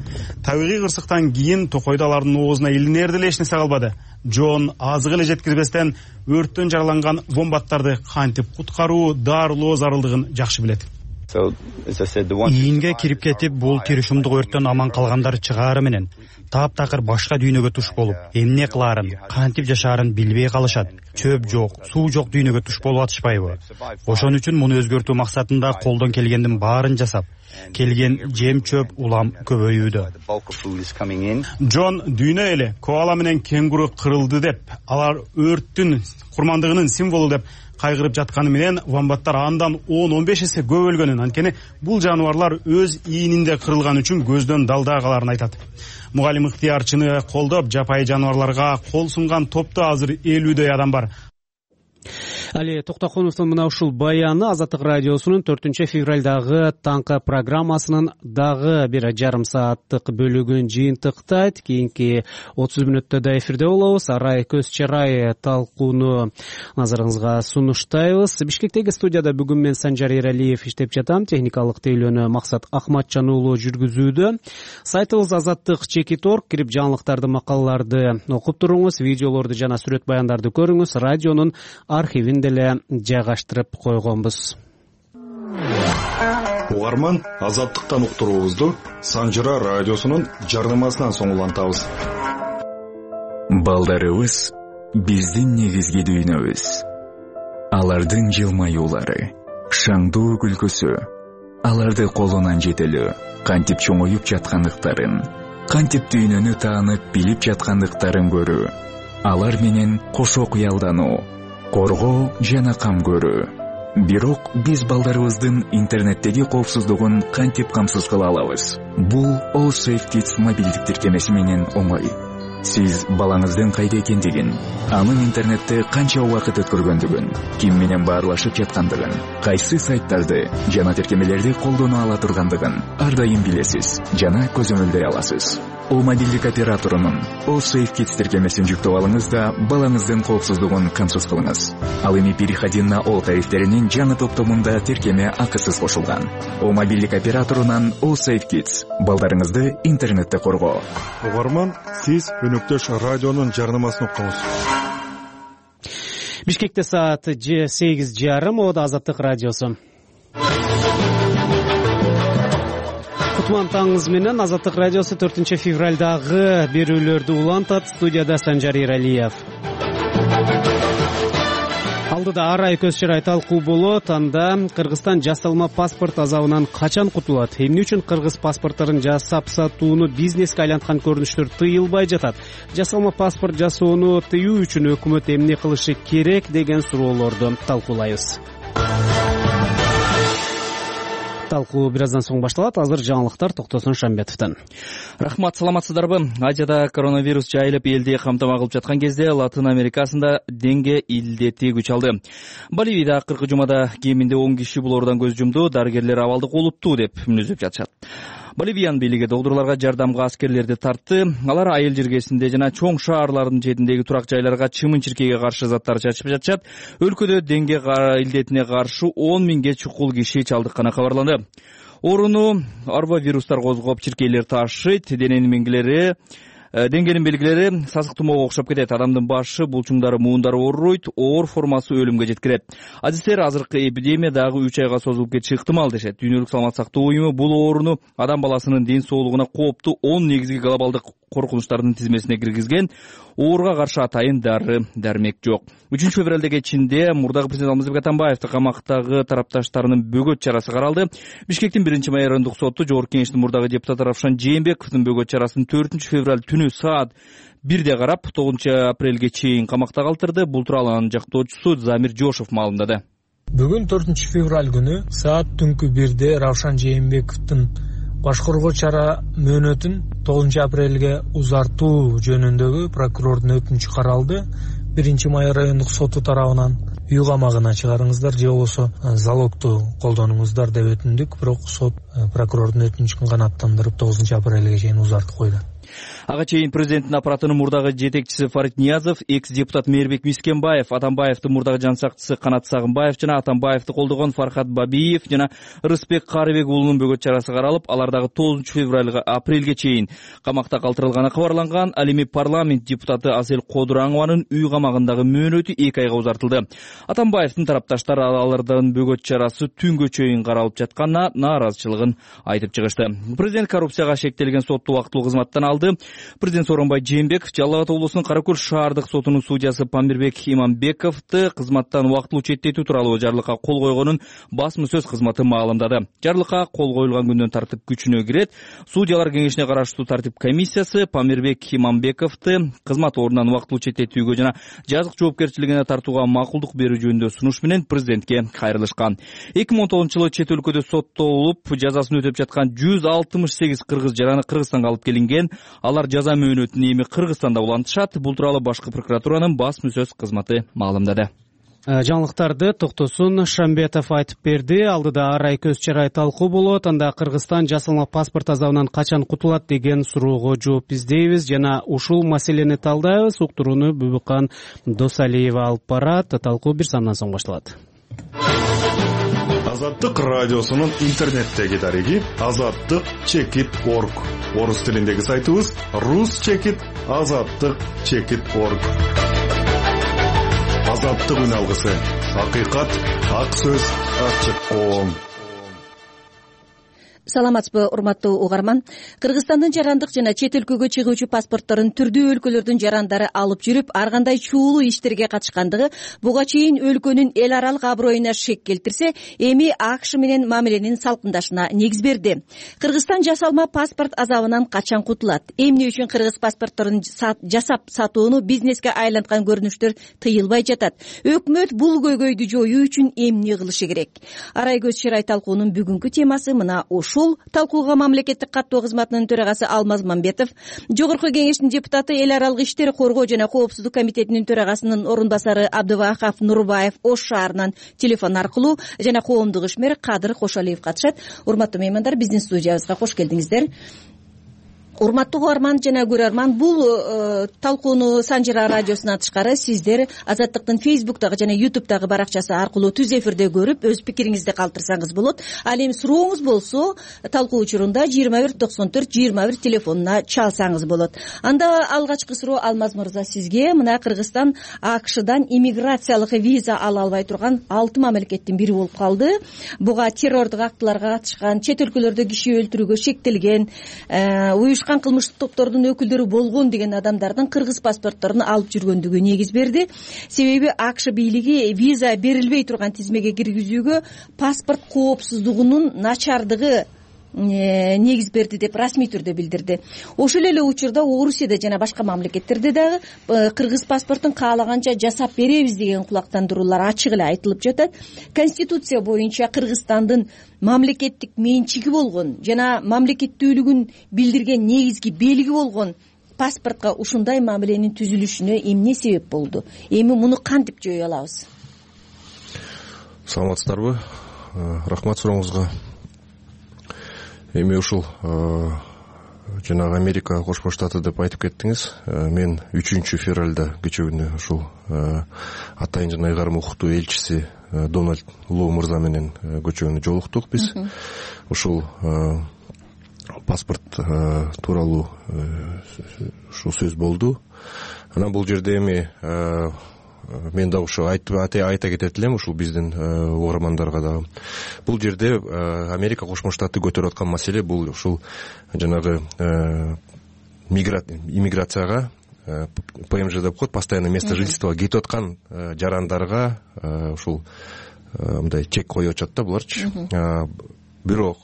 Табигый кырсыктан кийин токойдо алардын оозуна илинер деле эч нерсе калбады. Джон азык эле жеткирбестен өрттөн жараланган вомбаттарды кантип куткаруу, дарылоо зарылдыгын жакшы билет. Ийинге кирип кетип, бул тиришумдук өрттөн аман калгандар чыгаары менен таптакыр башка дүйнөгө туш болуп, эмне кылаарын, кантип жашаарын билбей калышат. Чөп жок, суу жок дүйнөгө туш болуп атышпайбы? Ошон үчүн муну өзгөртүү максатында колдон келгендин баарын жасап, келген жем чөп улам көбөйүүдө. Джон дүйнө эле коала менен кенгуру кырылды деп, алар өрттүн курмандыгынын символу деп кайгырып жатканы менен вомбаттар андан 10-15 эсе көп өлгөнүн, анткени бул жаныбарлар өз ийининде кырылган үчүн көздөн далда каларын айтат. Мугалим ыктыярчыны колдоп, жапайы жаныбарларга кол сунган топто азыр 50дөй адам бар. Али Токтоконовдун мына ушул баяны Азаттык радиосунун 4-февралдагы таңкы программасынын дагы бир жарым сааттык бөлүгүн жыйынтыктайт. Кийинки 30 мүнөттө да эфирде болобуз. Арай көз чарай талкууну назарыңызга сунуштайбыз. Бишкектеги студияда бүгүн мен Санжар Эралиев иштеп жатам. Техникалык тейлөөнү Максат Ахматжан уулу жүргүзүүдө. Сайтыбыз Азаттык.org кирип жаңылыктарды, макалаларды окуп туруңуз, видеолорду жана сүрөт баяндарды көрүңүз. Радионун архивин деле жайгаштырып койгонбуз. Угарман Азаттыктан уктуруубузду Санжыра радиосунун жарнамасынан соң улантабыз. Балдарыбыз биздин негизги дүйнөбүз. Алардын жылмаюулары, шаңдуу күлкүсү, аларды колунан жетелөө, кантип чоңоюп жаткандыктарын, кантип дүйнөнү таанып билип жаткандыктарын көрүү, алар менен кошо кыялдануу, коргоо жана кам көрүү. Бирок биз балдарыбыздын интернеттеги коопсуздугун кантип камсыз кыла алабыз? Бул AllSafeKids мобилдик тиркемеси менен оңой. Сиз балаңыздын кайда экендигин, анын интернетте канча убакыт өткөргөндүгүн, ким менен баарлашып жаткандыгын, кайсы сайттарды жана тиркемелерди колдоно ала тургандыгын ар дайым билесиз жана көзөмөлдөй аласыз. Мобилдик операторунун AllSafeKids тиркемесин жүктөп алыңыз да балаңыздын коопсуздугун камсыз кылыңыз. Ал эми переходи на All тарифтеринин жаңы топтомунда тиркеме акысыз кошулган. Мобилдик операторунан AllSafeKids балдарыңызды интернетте коргоо. Угарман, сиз өнөктөш радионун жарнамасын уктуңуз. Бишкекте саат 8:30, ода Азаттык радиосу. Кутман таңыңыз менен Азаттык радиосу 4 февралдагы берүүлөрдү улантат. Студияда Санжар Иралиев. Алдыда ар ай көз чырай талкуу болот. Анда Кыргызстан жасалма паспорт азабынан качан кутулат? Эмне үчүн кыргыз паспорттарын жасап сатууну бизнеске айланткан көрүнүштөр тыйылбай жатат? Жасалма паспорт жасоону тыюу үчүн өкмөт эмне кылышы керек деген суроолорду талкуулайбыз. Талкуу бир аздан соң башталат. Азыр жаңылыктар Токтосун Шамбетовдон. Рахмат, саламатсыздарбы? Азияда коронавирус жайылып элди камтама кылып жаткан кезде Латын Америкасында денге илдети күч алды. Боливияда акыркы жумада кеминде 10 киши бул оорудан көз жумду. Дарыгерлер абалды колуттуу деп мүнөздөп жатышат. Боливиянын бийлиги доктурларга жардамга аскерлерди тартты. Алар айыл жергесинде жана чоң шаарлардын четиндеги турак жайларга чымын-чиркейге каршы заттар чачып жатышат. Өлкөдө денге илдетине каршы 10 миңге чукул киши чалдыкканы кабарланды. Ооруну арбовирустар козгоп, чиркейлер ташыйт, деңгенин белгилери сасык тумоого окшоп кетет. Адамдын башы, булчуңдары, муундары ооруйт, оор формасы өлүмгө жеткирет. Адистер азыркы эпидемия дагы 3 айга созулуп кетиши ыктымал дешет. Дүйнөлүк саламат сактоо уюму бул ооруну адам баласынын ден соолугуна кооптуу 10 негизги глобалдык коркунучтардын тизмесине киргизген. Ооруга каршы атайын дары-дармек жок. 3 февралда кечинде мурдагы президент Алмазбек Атамбаевди камактагы тарапташтарынын бөгөт чарасы каралды. Бишкектин 1-май райондук соту Жогорку Кеңештин мурдагы депутаты Равшан Жээнбековдун бөгөт чарасын 4 февраль түнү саат 1де карап 9 апрелге чейин камакта калтырды. Бул тууралуу анын жактоочусу Замир Жошов маалымдады. Бүгүн 4 февраль күнү саат түнкү 1де Равшан Жээнбековдун башкаруу чара мөөнөтүн 9 апрелге узартуу жөнүндөгү прокурордун өтүнүчү каралды. 1-май райондук соту тарабынан үй камагына чыгарыңыздар же болбосо залогду колдонуңуздар деп өтүндүк. Бирок сот прокурордун өтүнүчүн канааттандырып 9 апрелге чейин узартып койду. Ага чейин президенттин аппаратынын мурдагы жетекчиси Фарид Ниязов, экс-депутат Мээрбек Мискенбаев, Атамбаевдин мурдагы жан сакчысы Канат Сагынбаев жана Атамбаевди колдогон Фархат Бабиев жана Рыспек Карыбек уулунун бөгөт чарасы каралып, алар дагы 9 апрелге чейин камакта калтырылганы кабарланган. Ал эми парламент депутаты Асел Кодураңованын үй камагындагы мөөнөтү 2 айга узартылды. Атамбаевдин тарапташтары алардын бөгөт чарасы түнгө чейин каралып жатканына нааразычылыгын айтып чыгышты. Президент коррупцияга шектелген соту убактылуу кызматтан алды. Президент Сооронбай Жээнбеков Жалал Абад облусунун Каракөл шаардык сотунун судьясы Памирбек Иманбековду кызматтан убактылуу четтетүү тууралуу жарлыкка кол койгонун басма сөз кызматы маалымдады. Жарлыкка кол коюлган күндөн тартып күчүнө кирет. Судьялар кеңешине караштуу тартип комиссиясы Памирбек Иманбековду кызмат ордунан убактылуу четтетүүгө жана жазык жоопкерчилигине тартууга макулдук берүү жөнүндө сунуш менен президентке кайрылышкан. 2010-жылы чет өлкөдө соттолуп жазасын өтөп жаткан 168 кыргыз жараны Кыргызстанга алып келинген. Алар жаза мөөнөтүн эми Кыргызстанда улантышат. Бул тууралуу башкы прокуратуранын басма сөз кызматы маалымдады. Жаңылыктарды Токтосун Шамбетов айтып берди. Алдыда ар ай көз чырай талкуу болот. Анда Кыргызстан жасалма паспорт азабынан качан кутулат деген суроого жооп издейбиз жана ушул маселени талдайбыз. Уктурууну Бүбүкан Досалиева алып барат. Талкуу бир сандан соң башталат. Азаттык радиосунун интернеттеги дареги azattyk.org. Орус тилиндеги сайтыбыз rus.azattyk.org. Азаттык үн алгысы. Акыйкат, ак сөз, ачык коом. саламатсызбы урматтуу угарман. Кыргызстандын жарандык жана чет өлкөгө чыгуучу паспортторун түрдүү өлкөлөрдүн жарандары алып жүрүп, ар кандай чуулуу иштерге катышкандыгы буга чейин өлкөнүн эл аралык аброюна шек келтирсе, эми АКШ менен мамиленин салкындашына негиз берди. Кыргызстан жасалма паспорт азабынан качан кутулат? Эмне үчүн кыргыз паспортторун жасап сатууну бизнеске айланткан көрүнүштөр тыйылбай жатат? Өкмөт бул көйгөйдү жоюу үчүн эмне кылышы керек? Арай көз чырай талкуунун бүгүнкү темасы мына ушул. Талкууга мамлекеттик каттоо кызматынын төрагасы Алмаз Мамбетов, Жогорку кеңештин депутаты, эл аралык иштер коргоо жана коопсуздук комитетинин төрагасынын орун басары Абдывахов Нурбаев Ош шаарынан телефон аркылуу жана коомдук ишмер Кадыр Кошалиев катышат. Урматтуу меймандар, биздин студиябызга кош келдиңиздер. Урматтуу угарман жана көрөрман, бул талкууну Санжара радиосунан тышкары сиздер Азаттыктын Фейсбуктагы жана Ютубтагы баракчасы аркылуу түз эфирде көрүп, өз пикириңизди калтырсаңыз болот. Ал эми сурооңуз болсо, талкуу учурунда 2194-21 телефонуна чалсаңыз болот. Анда алгачкы суроо Алмаз мырза сизге. Мына Кыргызстан АКШдан иммиграциялык виза ала албай турган 6 мамлекеттин бири болуп калды. Буга террордук актыларга катышкан, чет өлкөлөрдө киши өлтүрүүгө шектелген, уюшкан кылмыштык топтордун өкүлдөрү болгон деген адамдардын кыргыз паспортторун алып жүргөндүгү негиз берди. Себеби АКШ бийлиги виза берилбей турган тизмеге киргизүүгө паспорт коопсуздугунун начардыгы негиз берди деп расмий түрдө билдирди. Ошол эле учурда Орусияда жана башка мамлекеттерде дагы кыргыз паспортун каалаганча жасап беребиз деген кулактандыруулар ачык эле айтылып жатат. Конституция боюнча Кыргызстандын мамлекеттик менчиги болгон жана мамлекеттүүлүгүн билдирген негизги белги болгон паспортко ушундай мамиленин түзүлүшүнө эмне себеп болду? Эми муну кантип жое алабыз? Саламатсыздарбы? Рахмат сурооңузга. Эми ушул жанагы Америка Кошмо Штаты деп айтып кеттиңиз. Мен 3 февралда кечээ күнү ушул атайын жана ыйгарым укуктуу элчиси Дональд Лоу мырза менен кечээ күнү жолуктук биз. Ушул паспорт тууралуу ушул сөз болду. Анан бул жерде эми мен да ошо айта кетет элем ушул биздин угармандарга дагы. Бул жерде Америка Кошмо Штаты көтөрүп аткан маселе бул ушул жанагы иммиграцияга ПМЖ деп коет, постоянное место жительства кетип аткан жарандарга ушул мындай чек коюп атышат да буларчы. Бирок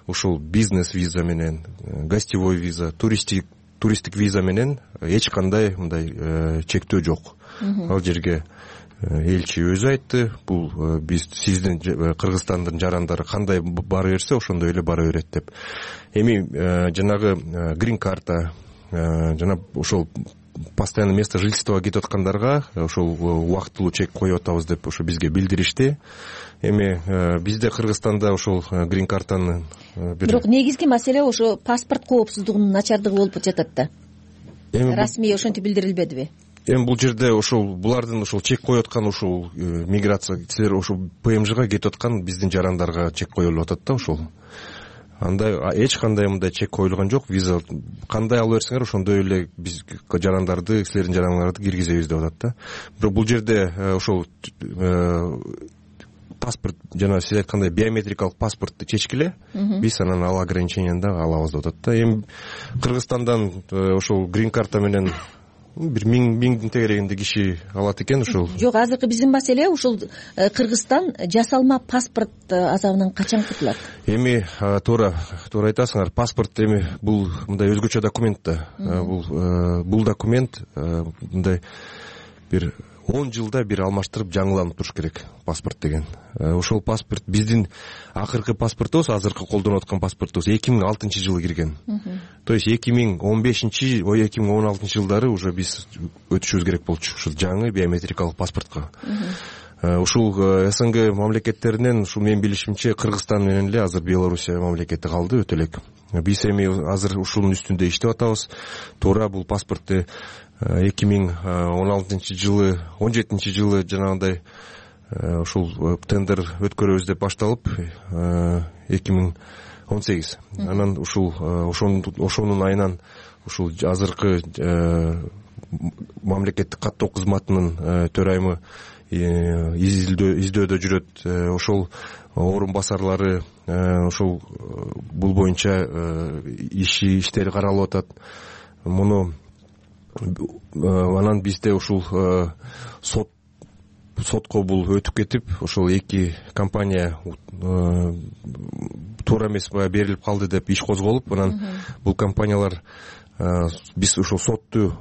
ушул бизнес виза менен, гостевой виза, туристтик виза менен эч кандай мындай чектөө жок. Ал жерге элчи өзү айтты, бул биз сиздин Кыргызстандын жарандары кандай бара берсе ошондой эле бара берет деп. Эми жанагы грин карта жана ошол постоянное место жительства кетип аткандарга ошол убактылуу чек коюп атабыз деп ошо бизге билдиришти. Эми бизде Кыргызстанда ошол грин картаны бирок негизги маселе ошо паспорт коопсуздугунун начардыгы болуп жатат да. Расмий ошентип билдирилбедиби? Эми бул жерде ошол булардын ошол чек коюп аткан ушул миграция силер ошол ПМЖга кетип аткан биздин жарандарга чек коюлуп атат да ошол. Андай эч кандай мындай чек коюлган жок. Виза кандай ала берсеңер ошондой эле биз жарандарды, силердин жарандарды киргизебиз деп атат да. Бирок бул жерде ошол паспорт жана сиз айткандай биометрикалык паспортты чечкиле, биз анан ал ограниченияны дагы алабыз деп атат да. Эми Кыргызстандан ошол грин карта менен бир миңдин тегерегинде киши алат экен ушул. Жок, азыркы биздин маселе ушул Кыргызстан жасалма паспорт азабынан качан кутулат? Эми туура айтасыңар, паспорт эми бул мындай өзгөчө документ да. Бул документ мындай бир 10 жылда бир алмаштырып жаңыланып туруш керек паспорт деген. Ошол паспорт биздин акыркы паспортубуз, азыркы колдонуп аткан паспортубуз 2006 жылы кирген. То есть 2015-2016 жылдары уже биз өтүшүбүз керек болчу ушул жаңы биометрикалык паспортко. Ушул СНГ мамлекеттеринен ушул менин билишимче Кыргызстан менен эле азыр Белоруссия мамлекети калды өтө элек. Биз эми азыр ушунун үстүндө иштеп атабыз. Туура бул паспортты 2016 жылы 17 жылы жанагындай ушул тендер өткөрөбүз деп башталып 2018. Анан ушул ошонун айынан ушул азыркы мамлекеттик каттоо кызматынын төрайымы издөөдө жүрөт. Ошол орун басарлары ошол бул боюнча иштери каралып атат. Муну анан бизде ушул сотко бул өтүп кетип, ошол эки компания туура эмес берилип калды деп иш козголуп, анан бул компаниялар биз ушул сотту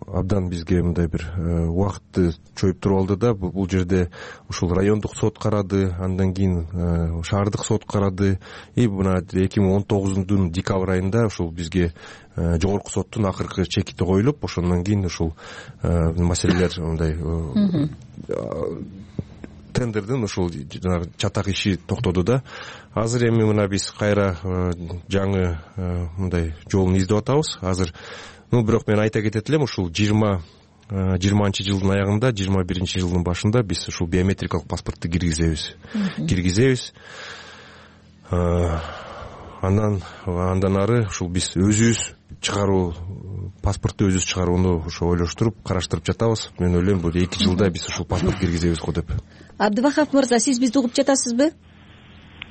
абдан бизге мындай бир убакытты чоюп туруп алды да. Бул жерде ушул райондук сот карады, андан кийин шаардык сот карады. И мына 2019 декабрь айында ушул бизге жогорку соттун акыркы чекити коюлуп, ошондон кийин ушул маселелер мындай тендердин ушул жанагы чатак иши токтоду да. Азыр эми мына биз кайра жаңы мындай жолун издеп атабыз. Азыр бирок мен айта кетет элем, ушул 20-20 жылдын аягында, 21 жылдын башында биз ушул биометрикалык паспортту киргизебиз. Андан ары ушул биз өзүбүз чыгаруу, паспортту өзүбүз чыгарууну ошо ойлоштуруп, караштырып жатабыз. Мен ойлойм, бул 2 жылда биз ушул паспорт киргизебиз го деп. Абдывахап мырза, сиз бизди угуп жатасызбы?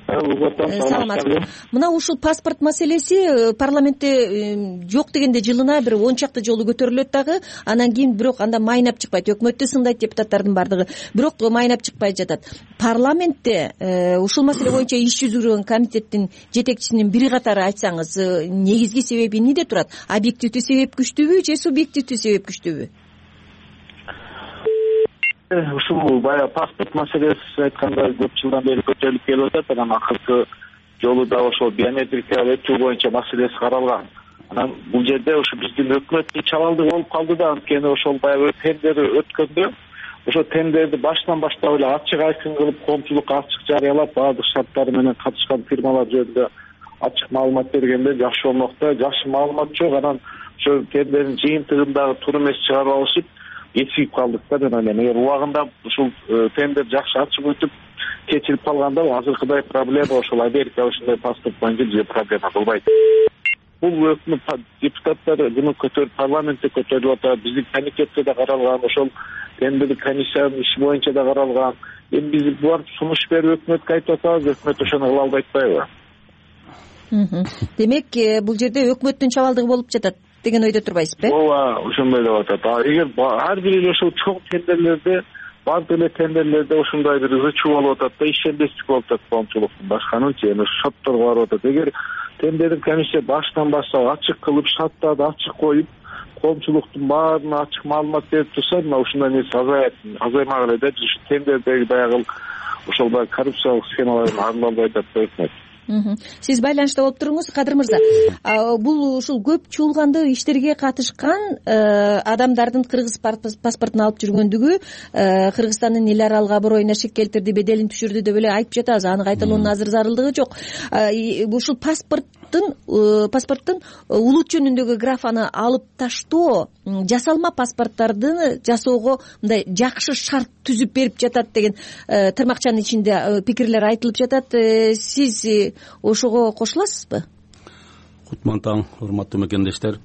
Саламатсызбы? Мына ушул паспорт маселеси парламентте жок дегенде жылына бир 10 чакты жолу көтөрүлөт дагы, анан кийин бирок анда майнап чыкпайт. Өкмөттү сындайт депутаттардын бардыгы, бирок майнап чыкпай жатат. Парламентте ушул маселе боюнча иш жүзүргөн комитеттин жетекчисинин бири катары айтсаңыз, негизги себеби эмнеде турат? Объективдүү себеп күчтүүбү же субъективдүү себеп күчтүүбү? Ушул баягы паспорт маселеси айткандай көп жылдан бери көтөрүлүп келип атат. Анан акыркы жолу да ошол биометрика өтүү боюнча маселеси каралган. Анан бул жерде ушу биздин өкмөттүн чабалдыгы болуп калды да, анткени ошол баягы тендер өткөндө ошо тендерди баштан баштап эле ачык айкын кылып, коомчулукка ачык жарыялап, баардык шарттары менен катышкан фирмалар жөнүндө ачык маалымат бергенде жакшы болмок да. Жакшы маалымат жок. Анан ошо тендердин жыйынтыгындагы туура эмес чыгарып алышып эсигип калдык да. Мен ойлойм, эгер убагында ушул тендер жакшы ачык өтүп чечилип калганда азыркыдай проблема ошол Америка ушундай паспорт боюнча бизге проблема кылбайт. Бул өкмөт депутаттары буну көтөрүп, парламентте көтөрүлүп атат, биздин комитетте да каралган, ошол тендердик комиссиянын иши боюнча да каралган. Эми биз барып сунуш берип өкмөткө айтып атабыз, өкмөт ошону кыла албай атпайбы? Демек, бул жерде өкмөттүн чабалдыгы болуп жатат деген ойдо турбайсызбы? Ооба, ошондой деп атат. Эгер ар бир эле ошол чоң тендерлерде, бардык эле тендерлерде ошондой бир ызычуу болуп атат да, ишендичтик болуп атат коомчулуктун, башканынчы эми шотторго барып атат. Эгер тендердик комиссия баштан баштап ачык кылып, шарттарды ачык коюп, коомчулуктун баарына ачык маалымат берип турса, мына ушундай нерсе азаймак эле да. Ушу тендердеги баягы ошол баягы коррупциялык схемалардан арыла албай атат да өкмөт. Сиз байланышта болуп туруңуз, Кадыр мырза. Бул ушул көп чуулганды иштерге катышкан адамдардын кыргыз паспортун алып жүргөндүгү Кыргызстандын эл аралык аброюна шек келтирди, беделин түшүрдү деп эле айтып жатабыз. Аны кайталоонун азыр зарылдыгы жок. Ушул паспорттун улут жөнүндөгү графаны алып таштоо жасалма паспорттарды жасоого мындай жакшы шарт түзүп берип жатат деген тармакчанын ичинде пикирлер айтылып жатат. Сиз ошого кошуласызбы? Кутман таң, урматтуу мекендештер.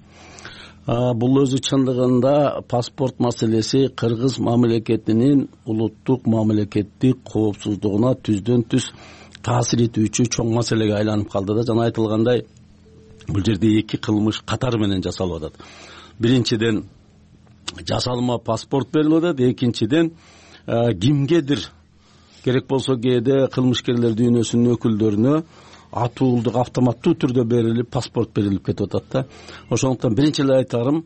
Бул өзү чындыгында паспорт маселеси Кыргыз мамлекетинин улуттук мамлекеттик коопсуздугуна түздөн түз таасир этүүчү чоң маселеге айланып калды да. Жана айтылгандай, бул жерде эки кылмыш катар менен жасалып атат. Биринчиден жасалма паспорт берилип атат, экинчиден кимгедир керек болсо кээде кылмышкерлер дүйнөсүнүн өкүлдөрүнө атуулдук автоматтуу түрдө берилип, паспорт берилип кетип атат да. Ошондуктан биринчи эле айтарым,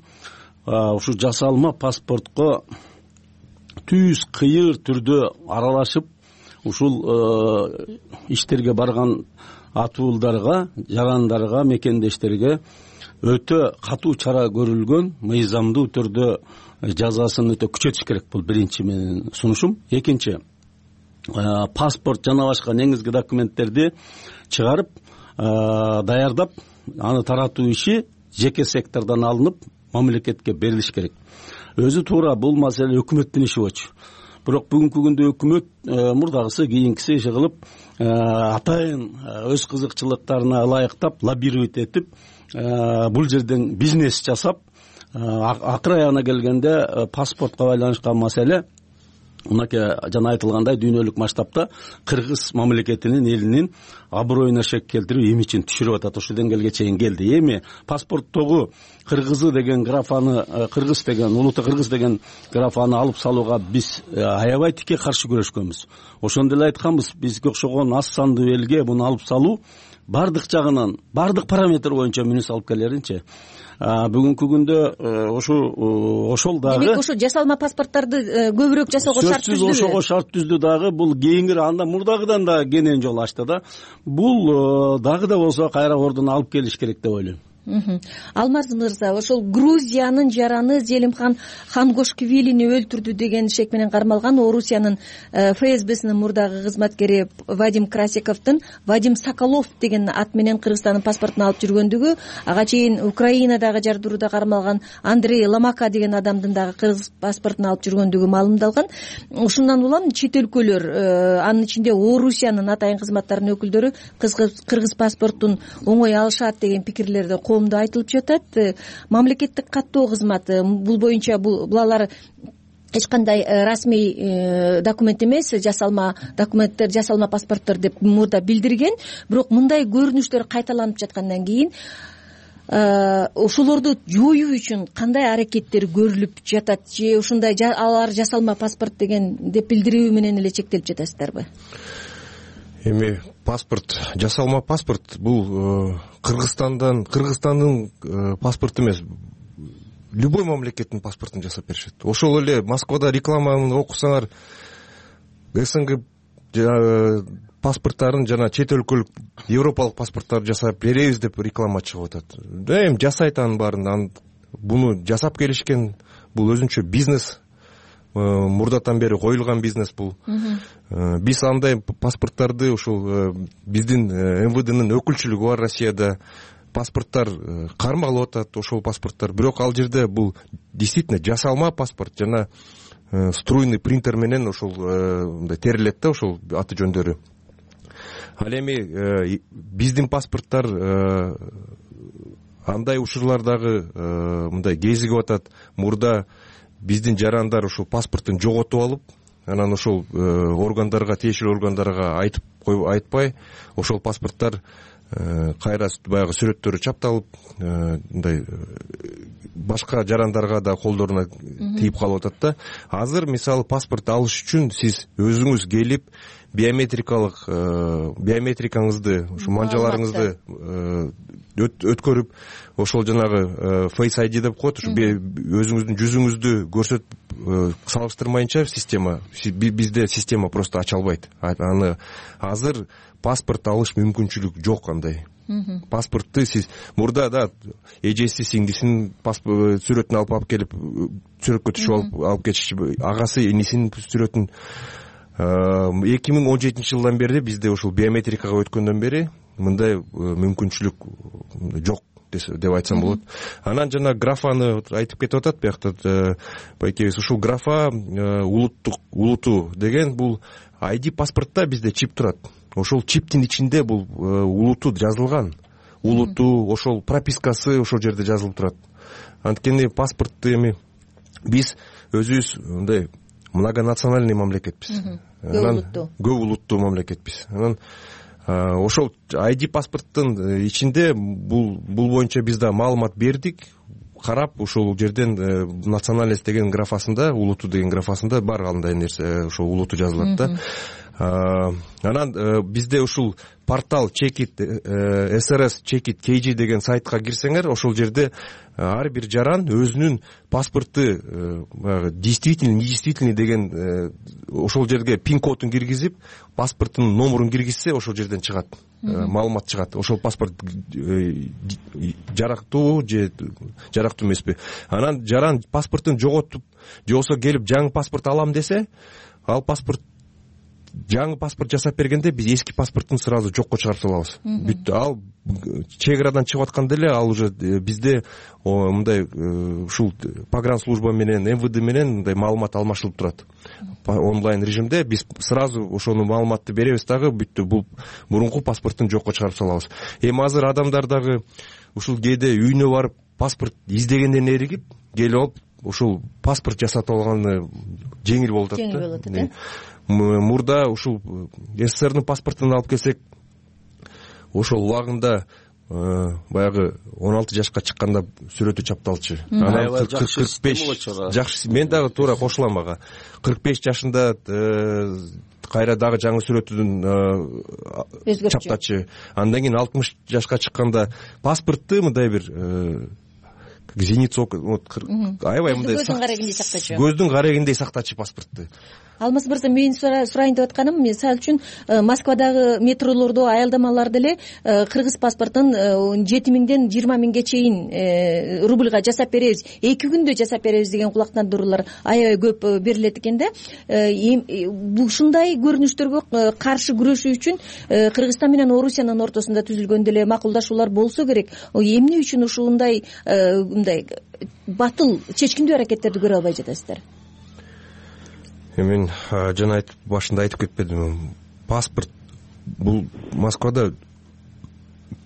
ушу жасалма паспортко түз кыйыр түрдө аралашып, ушул иштерге барган атуулдарга, жарандарга, мекендештерге өтө катуу чара көрүлгөн, мыйзамдуу түрдө жазасын өтө күчөтүш керек. Бул биринчи менин сунушум. Экинчи, паспорт жана башка негизги документтерди чыгарып, даярдап, аны таратуу иши жеке сектордон алынып, мамлекетке берилиш керек. Өзү туура бул маселе өкмөттүн иши болчу. Бирок бүгүнкү күндө өкмөт мурдагысы, кийинкиси иши кылып, атайын өз кызыкчылыктарына ылайыктап, лоббировать этип, бул жерден бизнес жасап, акыр аягына келгенде паспортко байланышкан маселе мынакей жана айтылгандай дүйнөлүк масштабта кыргыз мамлекетинин элинин аброюна шек келтирип имиджин түшүрүп атат. Ушул деңгээлге чейин келди. Эми паспорттогу кыргызы деген графаны, кыргыз деген улута кыргыз деген графаны алып салууга биз аябай тике каршы күрөшкөнбүз. Ошондо эле айтканбыз, бизге окшогон аз сандуу элге буну алып салуу бардык жагынан, бардык параметр боюнча мүнөз алып келеринчи. Бүгүнкү күндө ошол дагы демек ошо жасалма паспорттарды көбүрөөк жасоого шарт түздү. Сөзсүз ошого шарт түздү дагы. Бул кийинки анда мурдагыдан да кенен жол ачты да. Бул дагы да болсо кайра ордуна алып келиш керек деп ойлойм. Алмаз мырза, ошол Грузиянын жараны Зелимхан Хангошквилини өлтүрдү деген шек менен кармалган Орусиянын ФСБсинин мурдагы кызматкери Вадим Красиковдун Вадим Соколов деген ат менен Кыргызстандын паспортун алып жүргөндүгү, ага чейин Украинадагы жардырууда кармалган Андрей Ломака деген адамдын дагы кыргыз паспортун алып жүргөндүгү маалымдалган. Ушундан улам чет өлкөлөр, анын ичинде Орусиянын атайын кызматтарынын өкүлдөрү кыргыз паспортун оңой алышат деген пикирлерди коомдо айтылып жатат. Мамлекеттик каттоо кызматы бул боюнча булар эч кандай расмий документ эмес, жасалма документтер, жасалма паспорттор деп мурда билдирген. Бирок мындай көрүнүштөр кайталанып жаткандан кийин ошолорду жоюу үчүн кандай аракеттер көрүлүп жатат, же ушундай алар жасалма паспорт деген деп билдирүү менен эле чектелип жатасыздарбы? Эми паспорт, жасалма паспорт бул Кыргызстандын паспорту эмес, любой мамлекеттин паспортун жасап беришет. Ошол эле Москвада рекламаны окусаңар, СНГ паспорттарын жана чет өлкөлүк европалык паспорттарды жасап беребиз деп реклама чыгып атат. Эми жасайт анын баарын, буну жасап келишкен, бул өзүнчө бизнес. Мурдатан бери коюлган бизнес бул. Биз андай паспорттарды ушул биздин МВДнын өкүлчүлүгү бар Россияда, паспорттар кармалып атат, ошол паспорттар. Бирок ал жерде бул действительно жасалма паспорт, жана струйный принтер менен ошол мындай терилет да, ошол аты жөндөрү. Ал эми биздин паспорттар андай учурлар дагы мындай кезигип атат. Мурда биздин жарандар ушул паспортун жоготуп алып, анан ошол органдарга, тиешелүү органдарга айтпай, ошол паспорттар кайра баягы сүрөттөрү чапталып, мындай башка жарандарга да колдоруна тийип калып атат да. Азыр мисалы паспорт алыш үчүн сиз өзүңүз келип биометрикаңызды, ушу манжаларыңызды өткөрүп, ошол жанагы Face ID деп коет, ушу өзүңүздүн жүзүңүздү көрсөтүп салыштырмайынча система, бизде система просто ача албайт. Аны азыр паспорт алыш мүмкүнчүлүк жок андай. Паспортту сиз мурда да эжеси сиңдисинин сүрөтүн алып келип сүрөткө түшүп алып кетишчи, агасы инисинин сүрөтүн. 2017 жылдан бери бизде ушул биометрикага өткөндөн бери мындай мүмкүнчүлүк жок деп айтсам болот. Анан жана графаны айтып кетип атат биякта байкебиз. Ушул графа улуту деген бул ID паспортто бизде чип турат. Ошол чиптин ичинде бул улуту жазылган. Улуту, ошол пропискасы ошол жерде жазылып турат. Анткени паспортту эми биз өзүбүз мындай многонациональный мамлекетпиз. Көп улуттуу мамлекетпиз. Анан ошол ID паспорттун ичинде бул боюнча биз да маалымат бердик. Карап, ошол жерден национальность деген графасында, улуту деген графасында бар андай нерсе, ошол улуту жазылат да. Анан бизде ушул портал Чекит, SRS Чекит KG деген сайтка кирсеңер, ошол жерде ар бир жаран өзүнүн паспорту действительный, недействительный деген ошол жерге пин-кодун киргизип, паспорттун номерун киргизсе, ошол жерден чыгат, маалымат чыгат. Ошол паспорт жарактуу же жарактуу эмеспи. Анан жаран паспортун жоготуп, же болбосо келип жаңы паспорт алам десе, ал паспорт жаңы паспорт жасап бергенде биз эски паспорттун сразу жокко чыгарып салабыз. Бүттү. Ал чек арадан чыгып атканда эле ал уже бизде мындай ушул погранслужба менен, МВД менен мындай маалымат алмашылып турат. Онлайн режимде биз сразу ошону маалыматты беребиз дагы, бүттү. Бул мурунку паспорттун жокко чыгарып салабыз. Эми азыр адамдар дагы ушул кээде үйүнө барып паспорт издегенден эригип, келип алып ушул паспорт жасатып алганы жеңил болуп атат. Жеңил болуп атат, Мурда ушул СССРдин паспортун алып келсек, ошол убагында баягы 16 жашка чыкканда сүрөтү чапталчу. Анан 45 жакшы, мен дагы туура кошулам ага. 45 жашында кайра дагы жаңы сүрөтүн чаптачу. Андан кийин 60 жашка чыкканда паспортты мындай бир зеницок аябай мындай көздүн карегиндей сактачу паспортты. Алмаз мырза, мен сурайын деп атканым, мисалы үчүн Москвадагы метролордо аялдамаларда эле кыргыз паспортун 7.000ден 20.000ге чейин рубльга жасап беребиз, 2 күндө жасап беребиз деген кулактандыруулар аябай көп берилет экен да. Ушундай көрүнүштөргө каршы күрөшүү үчүн Кыргызстан менен Орусиянын ортосунда түзүлгөн деле макулдашуулар болсо керек. Эмне үчүн ушундай мындай батыл чечкиндүү аракеттерди көрө албай жатасыздар? Мен жана башында айтып кетпедимби, паспорт бул Москвада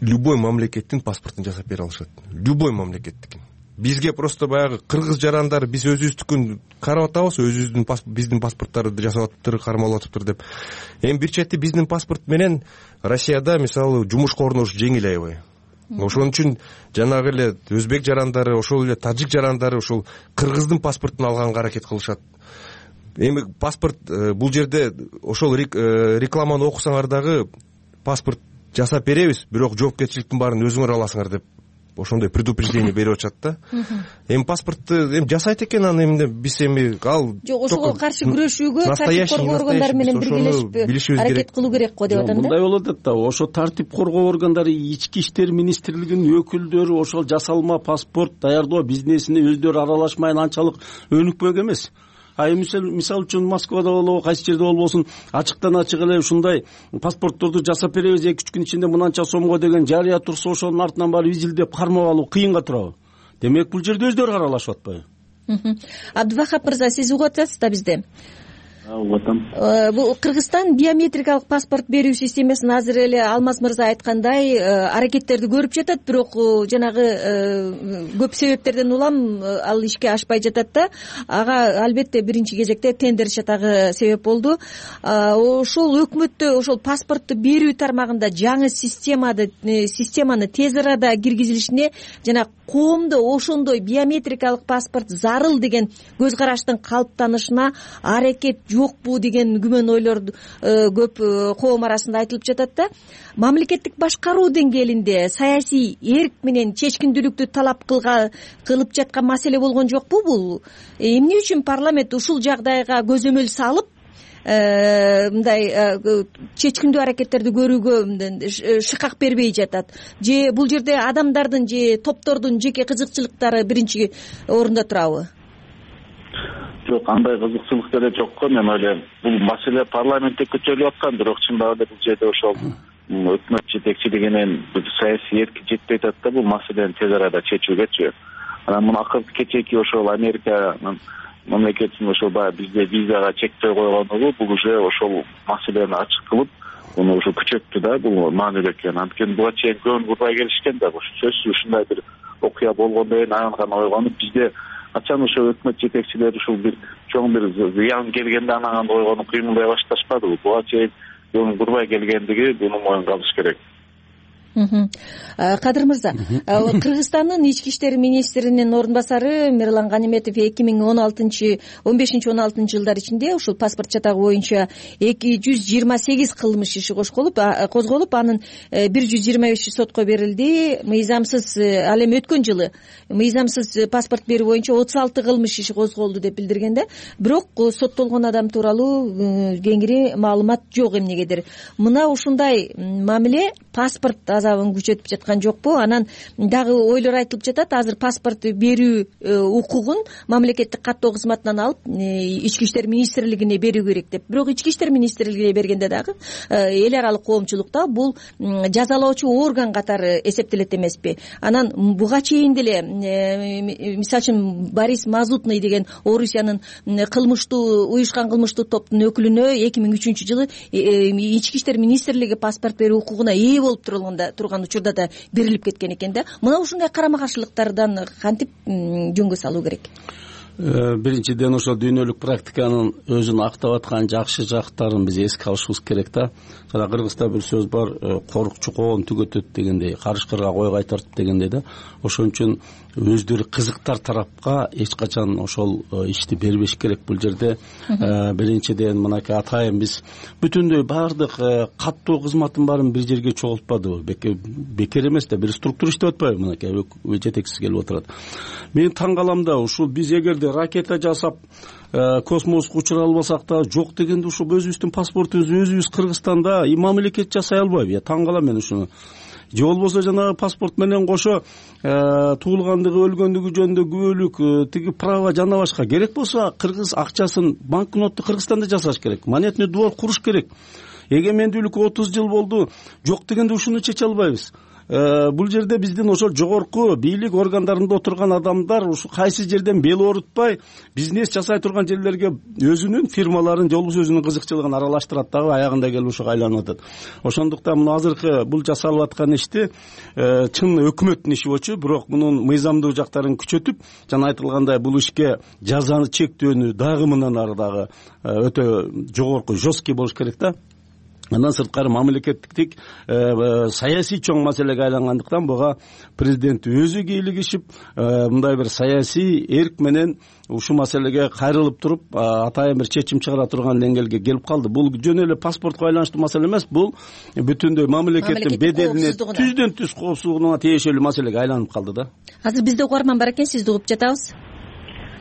любой мамлекеттин паспортун жасап бере алышат. Любой мамлекеттикин. Бизге просто баягы кыргыз жарандар биз өзүбүздүкүн карап атабыз, биздин паспорттарды жасап атыптыр, кармалап атыптыр деп. Эми бир чети биздин паспорт менен Россияда мисалы жумушка орношуу жеңил аябай. Ошон үчүн жанагы эле өзбек жарандары, ошол эле тажик жарандары ошол кыргыздын паспортун алганга аракет кылышат. Эми паспорт бул жерде ошол рекламаны окусаңар дагы паспорт жасап беребиз, бирок жоопкерчиликтин баарын өзүңөр аласыңар деп ошондой предупреждение берип атышат да. Эми паспортту эми жасайт экен, аны эмне биз эми жок, ошого каршы күрөшүүгө тартип коргоо органдары менен биргелешип аракет кылуу керек го деп атам да. Мындай болот да, ошо тартип коргоо органдары, ички иштер министрлигинин өкүлдөрү ошол жасалма паспорт даярдоо бизнесине өздөрү аралашмай анчалык өнүкпөк эмес. Мисалы үчүн Москвада болобу, кайсы жерде болбосун, ачыктан ачык эле ушундай паспортторду жасап беребиз 2-3 күн ичинде мынанча сомго деген жарыя турса, ошонун артынан барып изилдеп кармап алуу кыйынга турабы? Демек бул жерде өздөрү аралашып атпайбы? Абдывахап мырза, сиз угуп атасыз да бизди? Бул Кыргызстан биометрикалык паспорт берүү системасын азыр эле Алмаз мырза айткандай аракеттерди көрүп жатат, бирок жанагы көп себептерден улам ал ишке ашпай жатат да. Ага албетте биринчи кезекте тендер чатагы себеп болду. Ошол өкмөттө ошол паспортту берүү тармагында жаңы системаны тез арада киргизилишине жана коомдо ошондой биометрикалык паспорт зарыл деген көз караштын калыптанышына аракет жокпу деген күмөн ойлор көп коом арасында айтылып жатат да. Мамлекеттик башкаруу деңгээлинде саясий эрк менен чечкиндүүлүктү талап кылып жаткан маселе болгон жокпу бул? Эмне үчүн парламент ушул жагдайга көзөмөл салып мындай чечкиндүү аракеттерди көрүүгө шыкак бербей жатат? Же бул жерде адамдардын же топтордун жеке кызыкчылыктары биринчи орунда турабы? Жок, андай кызыкчылык деле жок го. Мен ойлойм, бул маселе парламентте көтөрүлүп аткан, бирок чындыгында бул жерде ошол өкмөт жетекчилигинен саясий эрк жетпей атат да, бул маселени тез арада чечүүгөчү. Анан муну акыркы кечээки ошол Американын мамлекетинин ошол баягы бизде визага чектөө койгону бул уже ошол маселени ачык кылып, муну ушу күчөттү да, бул маанилүү экен. Анткени буга чейин көңүл бурбай келишкен да, сөзсүз ушундай бир окуя болгондон кийин анан гана ойгонуп, бизде качан ошо өкмөт жетекчилери ушул бир чоң бир зыян келгенде анан ойгонуп кыймылдай башташпадыбы? Буга чейин көңүл бурбай келгендиги буну моюнга алыш керек. Кадыр мырза, Кыргызстандын ички иштер министринин орун басары Мирлан Ганиметов 2015-16 жылдар ичинде ушул паспорт чатагы боюнча 228 кылмыш иши козголуп, анын 125 сотко берилди. Мыйзамсыз, ал эми өткөн жылы мыйзамсыз паспорт берүү боюнча 36 кылмыш иши козголду деп билдирген да. Бирок соттолгон адам тууралуу кеңири маалымат жок эмнегедир. Мына ушундай мамиле паспорт азабын күчөтүп жаткан жокпу? Анан дагы ойлор айтылып жатат. Азыр паспорт берүү укугун мамлекеттик каттоо кызматынан алып ички иштер министрлигине берүү керек деп. Бирок ички иштер министрлигине бергенде дагы эл аралык коомчулукта бул жазалоочу орган катары эсептелет эмеспи? Анан буга чейин деле мисалы үчүн Борис Мазутный деген Орусиянын уюшкан кылмыштуу топтун өкүлүнө 2003 жылы ички иштер министрлиги паспорт берүү укугуна ээ болуп турган учурда да берилип кеткен экен да. Мына ушундай карама каршылыктардан кантип жөнгө салуу керек? Биринчиден ошол дүйнөлүк практиканын өзүн актап аткан жакшы жактарын биз эске алышыбыз керек да. Жана Кыргызда бир сөз бар, корукчу коон түгөтөт дегендей, карышкырга кой кайтартып дегендей да. Ошон үчүн өздөрү кызыктар тарапка эч качан ошол ишти бербеш керек. Бул жерде биринчиден мынакей атайын биз бүтүндөй баардык каттоо кызматтын баарын бир жерге чогултпадыбы? Бекер эмес да, бир структура иштеп атпайбы? Мынакей жетекчиси келип отурат. Мен таң калам да, ушул биз эгерде ракета жасап космоско учура албасак да, жок дегенде ушул өзүбүздүн паспортубузду өзүбүз Кыргызстанда мамлекет жасай албайбы? Таң калам мен ушуну. Же болбосо жанагы паспорт менен кошо туулгандыгы, өлгөндүгү жөнүндө күбөлүк, тиги права жана башка керек болсо кыргыз акчасын, банкнотту Кыргызстанда жасаш керек. Монетный двор куруш керек. Эгемендүүлүккө 30 жыл болду. Жок дегенде ушуну чече албайбыз. Бул жерде биздин ошол жогорку бийлик органдарында отурган адамдар ушу кайсы жерден бел оорутпай бизнес жасай турган жерлерге өзүнүн фирмаларын же болбосо өзүнүн кызыкчылыгын аралаштырат дагы, аягында келип ошого айланып атат. Ошондуктан мына азыркы бул жасалып аткан ишти чын өкмөттүн иши болчу, бирок мунун мыйзамдуу жактарын күчөтүп, жана айтылгандай бул ишке жазаны чектөөнү дагы мындан ары дагы өтө жогорку жесткий болуш керек да. Андан сырткары мамлекеттик саясий чоң маселеге айлангандыктан буга президент өзү кийлигишип, мындай бир саясий эрк менен ушул маселеге кайрылып туруп, атайын бир чечим чыгара турган деңгээлге келип калды. Бул жөн эле паспортко байланыштуу маселе эмес, бул бүтүндөй мамлекеттин беделине, түздөн түз коопсуздугуна тиешелүү маселеге айланып калды да. Азыр бизде угарман бар экен, сизди угуп жатабыз.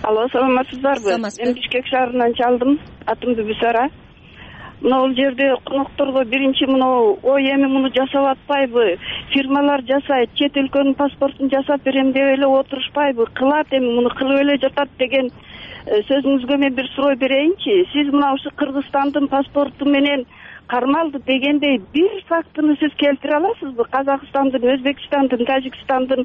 Алло, саламатсыздарбы? Мен Бишкек шаарынан чалдым. Атым Бүбүсара. Мына бул жерде конокторго биринчи мына ой эми муну жасап атпайбы? Фирмалар жасайт, чет өлкөнүн паспортун жасап берем деп эле отурушпайбы? Кылат эми муну кылып эле жатат деген сөзүңүзгө мен бир суроо берейинчи. Сиз мына ушу Кыргызстандын паспорту менен кармалды дегендей бир фактыны сиз келтире аласызбы? Казакстандын, Өзбекстандын, Тажикстандын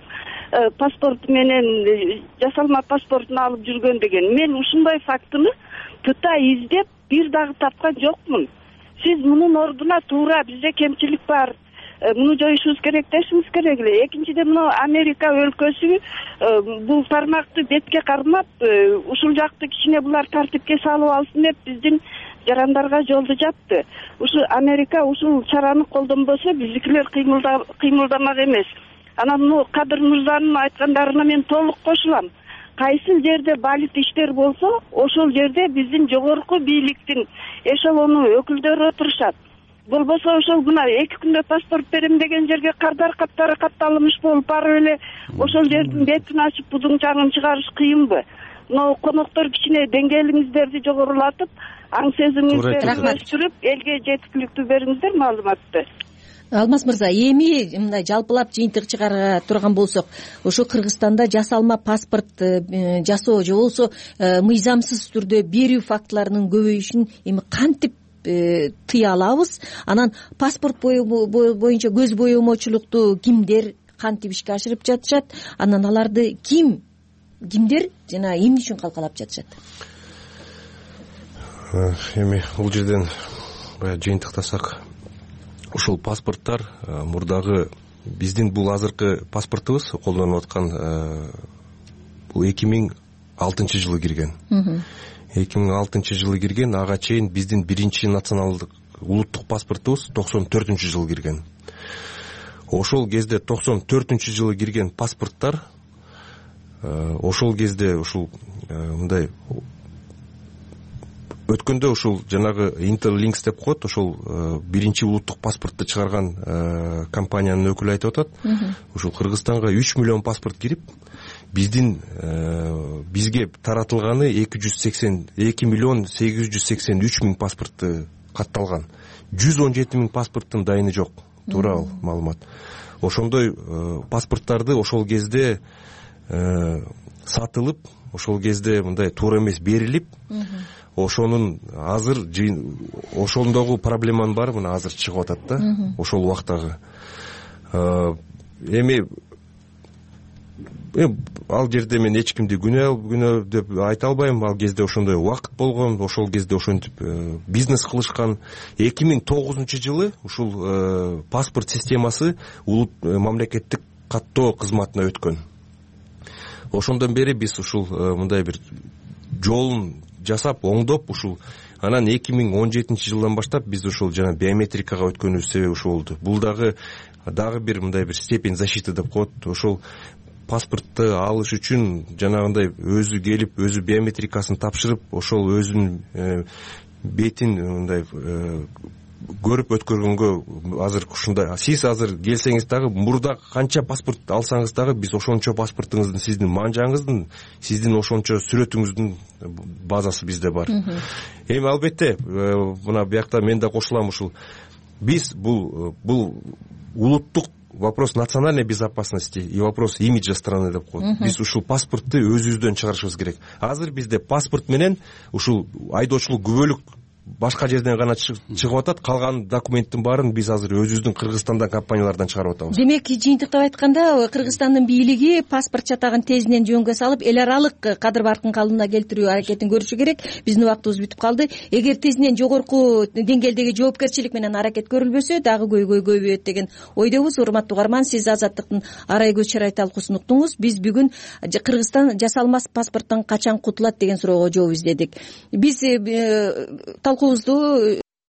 паспорту менен жасалма паспортун алып жүргөн деген. Мен ушундай фактыны тута издеп бир дагы тапкан жокмун. Сиз мунун ордуна туура бизде кемчилик бар, муну жоюшубуз керек дешибиз керек эле. Экинчиден мына Америка өлкөсү бул тармакты бетке кармап, ушул жакты кичине булар тартипке салып алсын деп биздин жарандарга жолду жапты. Ушу Америка ушул чараны колдонбосо биздикилер кыймылдамак эмес. Анан муну Кадыр мырзанын айткандарына мен толук кошулам. Кайсы жерде балит иштер болсо, ошол жерде биздин жогорку бийликтин эшелону өкүлдөрү отурушат. Болбосо ошол мына 2 күндө паспорт берем деген жерге кардар каттары катталмыш болуп барып эле ошол жердин бетин ачып будун чаңын чыгарыш кыйынбы? Мына коноктор кичине деңгээлиңиздерди жогорулатып, аң сезимиңиздерди өстүрүп, элге жеткиликтүү бериңиздер маалыматты. Алмаз мырза, эми мындай жалпылап жыйынтык чыгара турган болсок, ошо Кыргызстанда жасалма паспорт жасоо же болбосо мыйзамсыз түрдө берүү фактыларынын көбөйүшүн эми кантип тыя алабыз? Анан паспорт боюнча көз боемочулукту кимдер кантип ишке ашырып жатышат? Анан аларды кимдер жана эмне үчүн калкалап жатышат? Эми бул жерден баягы жыйынтыктасак, ушул паспорттар мурдагы биздин бул азыркы паспортубуз колдонуп аткан бул 2006 жылы кирген. 2006 жылы кирген, ага чейин биздин биринчи националдык улуттук паспортубуз 94 жылы кирген. Ошол кезде 94 жылы кирген паспорттар ошол кезде ушул мындай өткөндө ушул жанагы Interlinks деп коет, ошол биринчи улуттук паспортты чыгарган компаниянын өкүлү айтып атат. Ушул Кыргызстанга 3 миллион паспорт кирип, бизге таратылганы 2 миллион 883 миң паспортты катталган. 117 миң паспорттун дайыны жок. Туура ал маалымат. Ошондой паспорттарды ошол кезде сатылып, ошол кезде мындай туура эмес берилип, ошонун азыр ошондогу проблеманын баары мына азыр чыгып атат да, ошол убактагы. Эми ал жерде мен эч кимди күнөө деп айта албайм. Ал кезде ошондой убакыт болгон, ошол кезде ошентип бизнес кылышкан. 2009 жылы ушул паспорт системасы мамлекеттик каттоо кызматына өткөн. Ошондон бери биз ушул мындай бир жолун жасап оңдоп ушул анан 2017-жылдан баштап биз ушул жана биометрикага өткөнүбүз себеби ушул болду. Бул дагы бир мындай бир степень защиты деп коет. Ошол паспортты алыш үчүн жанагындай өзү келип өзү биометрикасын тапшырып ошол өзүнүн бетин мындай көрүп өткөргөнгө азыр ушундай. Сиз азыр келсеңиз дагы мурда канча паспорт алсаңыз дагы биз ошончо паспортуңуздун, сиздин манжаңыздын, сиздин ошончо сүрөтүңүздүн базасы бизде бар. Эми албетте мына биякта мен да кошулам, ушул биз бул улуттук вопрос национальной безопасности и вопрос имиджа страны деп коет. Биз ушул паспортты өзүбүздөн чыгарышыбыз керек. Азыр бизде паспорт менен ушул айдоочулук күбөлүк башка жерден гана чыгып атат. Калган документтин баарын биз азыр өзүбүздүн Кыргызстандан компаниялардан чыгарып атабыз. Демек, жыйынтыктап айтканда, Кыргызстандын бийлиги паспорт чатагын тезинен жөнгө салып, эл аралык кадыр баркын калыбына келтирүү аракетин көрүшү керек. Биздин убактыбыз бүтүп калды. Эгер тезинен жогорку деңгээлдеги жоопкерчилик менен аракет көрүлбөсө, дагы көйгөйбөйт деген ойдобуз. Урматтуу угарман, сиз Азаттыктын арай көз чырай талкуусун уктуңуз. Биз бүгүн Кыргызстан жасалмас паспорттон качан кутулат деген суроого жооп издедик. Биз талкуубузду